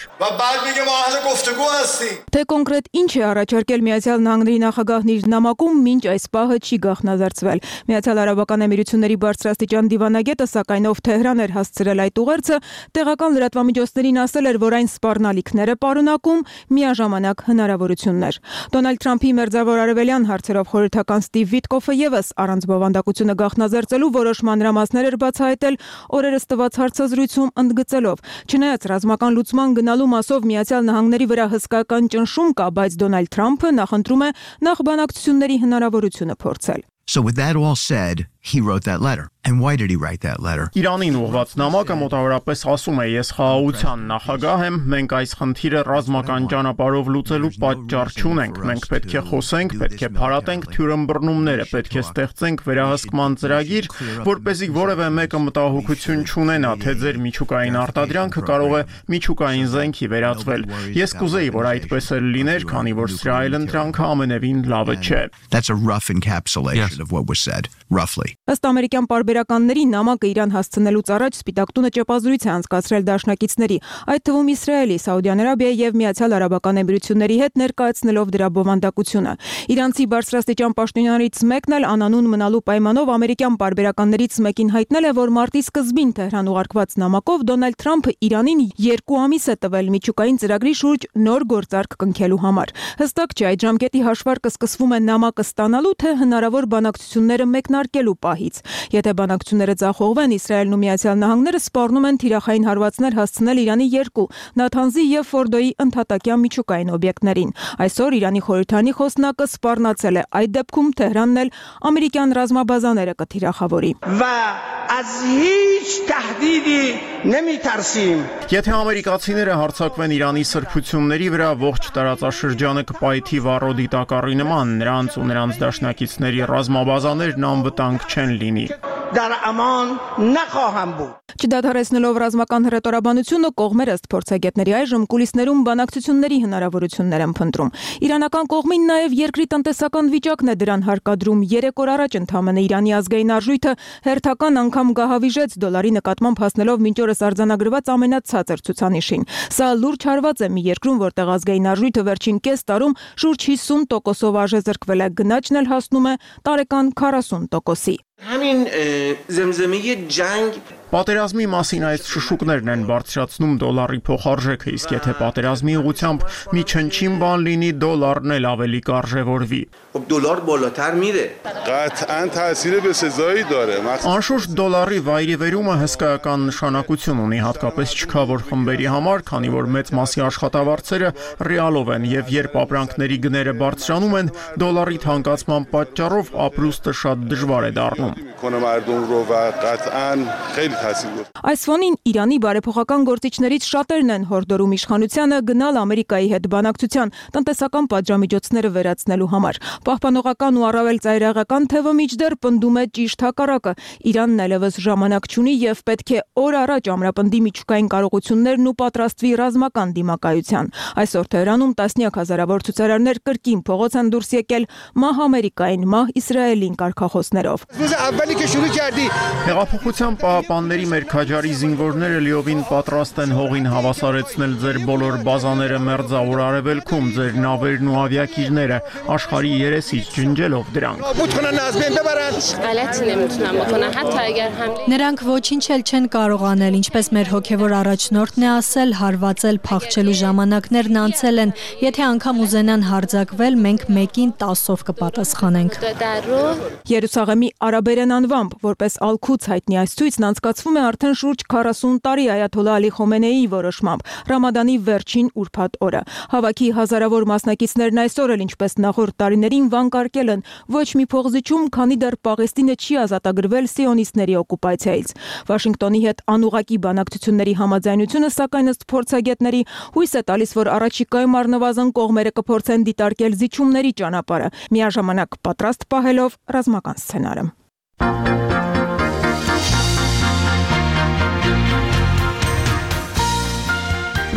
Թե կոնկրետ ինչ է առաջարկել Միացյալ Նահանգների նախագահն իր նամակում, մինչ այս պահը չի գաղտնազարդվել։ Միացյալ Արաբական Էմիրությունների բարձրաստիճան դիվանագետը, սակայն ով Թեհրան էր հասցրել այդ ուղերձը, տեղական լրատվամիջոցներին ասել էր, որ այն սպառնալիքներ է պարունակում, միաժամանակ հնարավորություններ։ Դոնալդ Թրամփի մերձավոր արևելյան հարցերով խորհրդական Ստիվ Վիտկոֆը եւս առանց բովանդակությունը գաղտնազարդելու որոշ մանրամասներ էր բացահայտել օրերս տված հարցազրույցում, ընդգծելով. չնայած ռազմական լուծման գնալու մասով Միացյալ Նահանգների վրա հսկայական ճնշում կա, բայց Դոնալդ Թրամփը նախընտրում է նախ բանակցությունների հնարավորությունը փորձել։ So with that all said, he wrote that letter. And why did he write that letter? Իրանին ուղղված նամակը մոտավորապես ասում է. ես խաղաղության նախագահ եմ, մենք այս խնդիրը ռազմական ճանապարհով լուծելու պատճառ չունենք, մենք պետք է խոսենք, պետք է փարատենք թյուրըմբռնումները, պետք է ստեղծենք վերահսկման ծրագիր, որպեսզի որևէ մեկը մտահոգություն չունենա, թե ձեր միջուկային արտադրանքը կարող է միջուկային զենքի վերածվել։ Ես կուզեի, որ այդպես էլ լիներ, քանի որ սրա այլընտրանքը ամենևին լավը չէ։ That's a rough encapsulation of what was said, roughly. Ըստ ամերիկյան պարբերականների նամակը Իրան հասցնելուց առաջ Սպիտակ տունը ճեպազրույց է անցկացրել դաշնակիցների, այդ թվում Իսրայելի, Սաուդյան Արաբիայի եւ Միացյալ Արաբական Էմիրությունների հետ, ներկայացնելով դրա բովանդակությունը։ Իրանցի բարձրաստիճան պաշտոնյաներից մեկն էլ անանուն մնալու պայմանով ամերիկյան պարբերականներից մեկին հայտնել է, որ մարտի սկզբին Թեհրան ուղարկված նամակով Դոնալդ Թրամփը Իրանին երկու ամիս է տվել միջուկային ծրագրի շուրջ նոր գործարք կնքելու համար։ Հստակ չէ այդ ժամկետի հաշվարկը սկսվում է նամակը ստանալու, թե հնարավոր բանակցությունները մեկնարկելու պահից։ Եթե բանակցությունները ձախողվեն, Իսրայելն ու Միացյալ Նահանգները սպառնում են թիրախային հարվածներ հասցնել Իրանի երկու՝ Նաթանզի եւ Ֆորդոյի ընդհատակյան միջուկային օբյեկտներին։ Այսօր Իրանի խորհրդանի խոսնակը սպառնացել է, այդ դեպքում Թեհրանն էլ ամերիկյան ռազմաբազաները կթիրախավորի։ Եթե ամերիկացիները հարձակվեն Իրանի սրբությունների վրա, ողջ տարածաշրջանը կպայթի վառոդի դիտակառի նման, նրանց ու նրանց դաշնակիցների ռազմաբազաներն անվտանգ չեն լինի։ Չդադարեցնելով ռազմական հռետորաբանությունը, կողմերը ըստ փորձագետների այժմ կուլիսներում բանակցությունների հնարավորություններ են փնտրում։ Իրանական կողմին նաև երկրի տնտեսական վիճակն է դրան հարկադրում։ Երեք օր առաջ ընդամենը Իրանի ազգային արժույթը հերթական անգամ գահավիժեց դոլարի նկատմամբ, հասնելով մինչ օրս արձանագրված ամենացածր ցուցանիշին։ Սա լուրջ հարված է մի երկրում, որտեղ ազգային արժույթը վերջին կես տարում շուրջ հիսուն տոկոսով արժեզրկվել է, գնաճն էլ հասնում է տարեկան քառասուն տոկոսի։ همین زمزمه جنگ Պատերազմի մասին այս շշուկներն են բարձրացնում դոլարի փոխարժեքը, իսկ եթե պատերազմի ուղղությամբ մի չնչին բան լինի, դոլարն էլ ավելի կարժևորվի։ دلار بالاتر میره. قطعاً تاثیر به سزایی داره. Անշուշտ դոլարի վայրիվերումը հսկայական նշանակություն ունի, հատկապես չքավոր խմբերի համար, քանի որ մեծ մասի աշխատավարձերը ռեալով են եւ երբ ապրանքների գները բարձրանում են, դոլարի թանկացման պատճառով ապրուստը շատ դժվար է դառնում։ Այս ֆոնին Իրանի բարեփոխական գործիչներից շատերն են հորդորում իշխանությանը գնալ Ամերիկայի հետ բանակցության տնտեսական պատժամիջոցները վերացնելու համար։ Պահպանողական ու առավել ծայրահեղական թևը միջդեռ պնդում է ճիշտ հակառակը։ Իրանն այլևս ժամանակ չունի եւ պետք է օր առաջ ամրապնդի միջուկային կարողություններն ու պատրաստվի ռազմական դիմակայության։ Այսօր Թեհրանում տասնյակ հազարավոր ցուցարարներ կրկին փողոց են դուրս եկել մահ Ամերիկային, մահ Իսրայելին կարգախոսներով։ Հեղափոխության պահապանների մեր քաջարի զինվորները լիովին պատրաստ են հողին հավասարեցնել ձեր բոլոր բազաները մերձավոր արևելքում, ձեր նավերն ու ավիակիրները, աշխարհի երեսից ջնջելով դրանք։ Նրանք ոչինչ էլ չեն կարող անել, ինչպես մեր հոգևոր առաջնորդն է ասել, հարվածել, փախչելու ժամանակներն անցել են, եթե անգամ ուզենան հարձակվել, մենք մեկին տասով կպատասխանենք։ Երուսաղեմի արաբերեն անվամբ, որպես Ալ-Քուց հայտնի այս ցույցն անցկացվում է արդեն շուրջ քառասուն տարի Այաթոլլահ Ալի Խոմենեիի որոշմամբ, Ռամադանի վերջին ուրբաթ օրը։ Հավաքի հազարավոր մասնակիցներն այսօր էլ ինչպես նախորդ տարիներին վանկարկել են ոչ մի փողզիչում, քանի դեռ Պաղեստինը չի ազատագրվել սիոնիստների օկուպացիայից։ Վաշինգտոնի հետ անուղղակի բանակցությունների համաձայնությունը, սակայն ըստ փորձագետների, հույս է տալիս, որ առաջիկայում առնվազն կողմերը կփորձեն դիտարկել զիջումների ճանապարհը, միաժամանակ պատրաստ պահելով ռազմական սցենարը։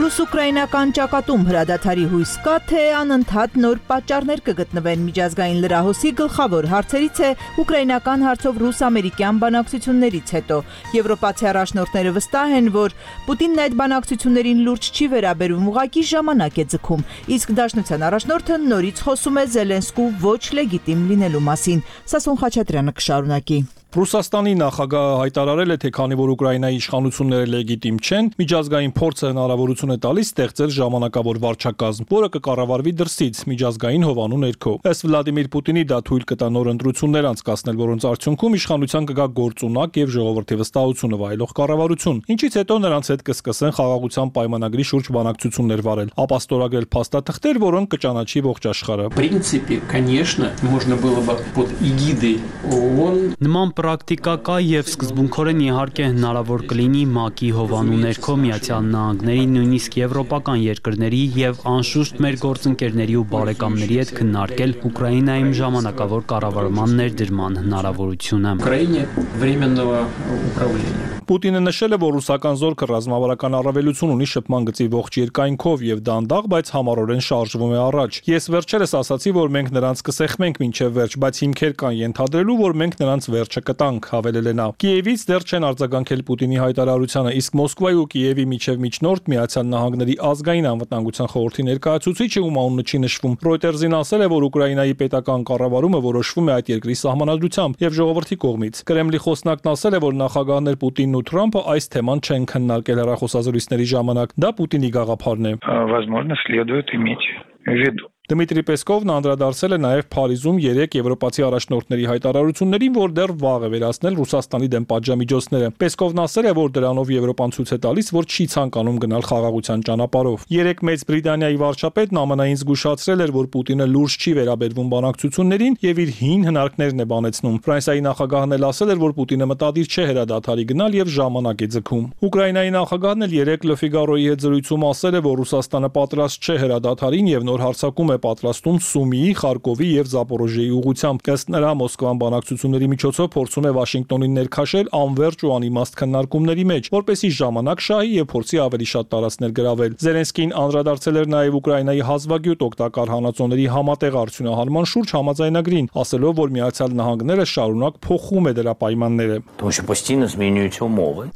Ռուս-ուկրաինական ճակատում հրադադարի հույս կա, թե անընդհատ նոր պատճառներ կգտնվեն միջազգային լրահոսի գլխավոր հարցերից է ուկրաինական հարցով ռուս-ամերիկյան բանակցություններից հետո։ Եվրոպացի առաջնորդները վստահ են, որ Պուտինն այդ բանակցություններին լուրջ չի վերաբերում, ուղղակի ժամանակ է ձգում, իսկ Դաշնության առաջնորդը նորից խոսում է Զելենսկու ոչ լեգիտիմ լինելու մասին։ Սասուն Խաչատրյանը կշարունակի։ Ռուսաստանի նախագահը հայտարարել է, թե քանի որ Ուկրաինայի իշխանությունները լեգիտիմ չեն, միջազգային փորձը հնարավորություն է տալիս ստեղծել ժամանակավոր վարչակազմ, որը կկառավարվի դրսից միջազգային հովանու ներքո։ Ըստ Վլադիմիր Պուտինի դա թույլ կտա նոր ընտրություններ անցկացնել, որոնց արդյունքում իշխանության կգա գործունակ եւ ժողովրդի վստահությունը վայելող կառավարություն, ինչից հետո նրանց հետ կսկսեն խաղաղության պայմանագրի շուրջ բանակցություններ վարել, ապա ստորագրել փաստաթղթեր, որոնք կճանաչի ողջ աշխարհը։ принципе, конечно, можно было бы под эгидой ООН Նման պրակտիկա կա եւ սկզբունքորեն իհարկե հնարավոր կլինի ՄԱԿ-ի հովանու ներքո Միացյալ Նահանգների, նույնիսկ եվրոպական երկրների եւ անշուշտ մեր գործընկերների ու բարեկամների հետ քննարկել Ուկրաինայում ժամանակավոր կառավարման ներդրման հնարավորությունը։ Украине временного управления Պուտինը նշել է, որ ռուսական զորքը ռազմավարական առավելություն ունի շփման գծի ողջ երկայնքով եւ դանդաղ, բայց համառորեն շարժվում է առաջ։ Ես վերջերս ասացի, որ մենք նրանց կսեղմենք մինչեւ վերջ, բայց հիմքեր կան ենթադրելու, որ մենք նրանց վերջը կտանք, հավելել է նա։ Կիևից դեռ չեն արձագանքել Պուտինի հայտարարությանը, իսկ Մոսկվայի ու Կիևի միջև միջնորդ Միացյալ Նահանգների ազգային անվտանգության խորհրդի ներկայացուցիչը, ում անունը չի նշվում, Reuters-ին ասել է, որ Ուկրաինայի պետական կառավարումը որոշվում է այդ երկրի սահմանադրությամբ եւ ժողովրդի կողմից։ Կրեմլի խոսնակն ասել է, որ նախագահներ Պուտինն ու Թրամփը այս թեման չեն քննարկել հեռախոսազրույցների ժամանակ։ Դա Պուտինի գաղափարն է։ Возможно, следует иметь в виду. Դմիտրի Պեսկովն անդրադարձել է նաև Փարիզում երեք եվրոպացի առաջնորդների հայտարարություններին, որ դեռ վաղ է վերացնել Ռուսաստանի դեմ պատժամիջոցները։ Պեսկովն ասել է, որ դրանով Եվրոպան ցույց է տալիս, որ չի ցանկանում գնալ խաղաղության ճանապարհով։ Երեք Մեծ Բրիտանիայի վարչապետն ԱՄՆ-ին զգուշացրել էր, որ Պուտինը լուրջ չի վերաբերվում բանակցություններին եւ իր հին հնարքներն է բանեցնում։ Ֆրանսիայի նախագահն էլ ասել էր, որ Պուտինը մտադիր չէ հրադադարի գնալ եւ ժամանակ է ձգում։ Ուկրաինայի նախագահն էլ երեք Le Figaro-ի հետ զրույցում ասել է, որ Ռուսաստանը պատրաստ չէ հրադադարին եւ նոր հարձակում է պատրաստում Սումիի, Խարկովի եւ Զապորոժիեի ուղղությամբ։ Ըստ նրա, Մոսկվան բանակցությունների միջոցով փորձում է Վաշինգտոնին ներքաշել անվերջ ու անիմաստ քննարկումների մեջ, որպեսզի ժամանակ շահի եւ փորձի ավելի շատ տարածքներ գրավել։ Զելենսկին անդրադարձել էր նաեւ Ուկրաինայի հազվագյուտ օգտակար հանածոների համատեղ արդյունահանման շուրջ համաձայնագրին, ասելով, որ Միացյալ Նահանգները շարունակ փոխում է դրա պայմանները։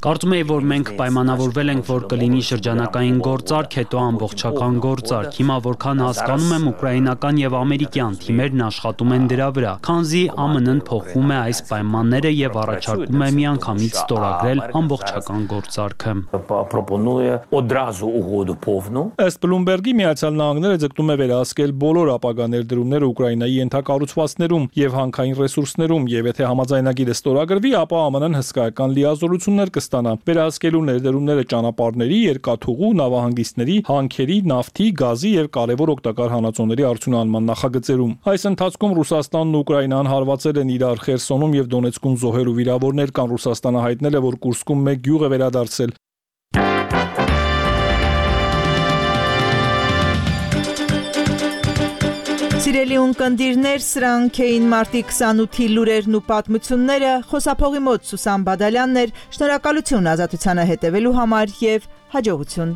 Կարծում եմ, որ մենք պայմանավորվել ենք, որ կլինի շրջանակային գործարք, հետո ամբողջական գործարք։ Հիմա որքան հասկանում եմ, ուկրաինական եւ ամերիկյան թիմերն աշխատում են դրա վրա, քանզի ԱՄՆ-ն փոխում է այս պայմանները եւ առաջարկում է միանգամից ստորագրել ամբողջական գործարքը։ Ըստ Bloomberg-ի Միացյալ Նահանգները ձգտում է վերահսկել բոլոր ապագա ներդրումները Ուկրաինայի ենթակառուցվածքներում եւ հանքային ռեսուրսներում, եւ եթե համաձայնագիրը ստորագրվի, ապա ԱՄՆ-ն հսկայական լիազորություններ կստանա վերահսկելու ներդրումները ճանապարհների, երկաթուղու, նավահանգիստների, հանքերի, նավթի, գազի եւ կարեւոր օգտակար հանածոների արդյունահանման նախագծերում։ Այս ընթացքում Ռուսաստանն ու Ուկրաինան հարվածել են իրար Խերսոնում եւ Դոնեցկում զոհեր ու վիրավորներ կան։ Ռուսաստանը հայտնել է, որ Կուրսկում մեկ գյուղ է վերադարձել։ Սիրելի ունկնդիրներ, սրանք էին մարտի քսանութի լուրերն ու պատմությունները, խոսափողի մոտ Սուսան Բադալյանն էր, շնորհակալություն ազատությանը հետևելու համար եւ հաջողություն։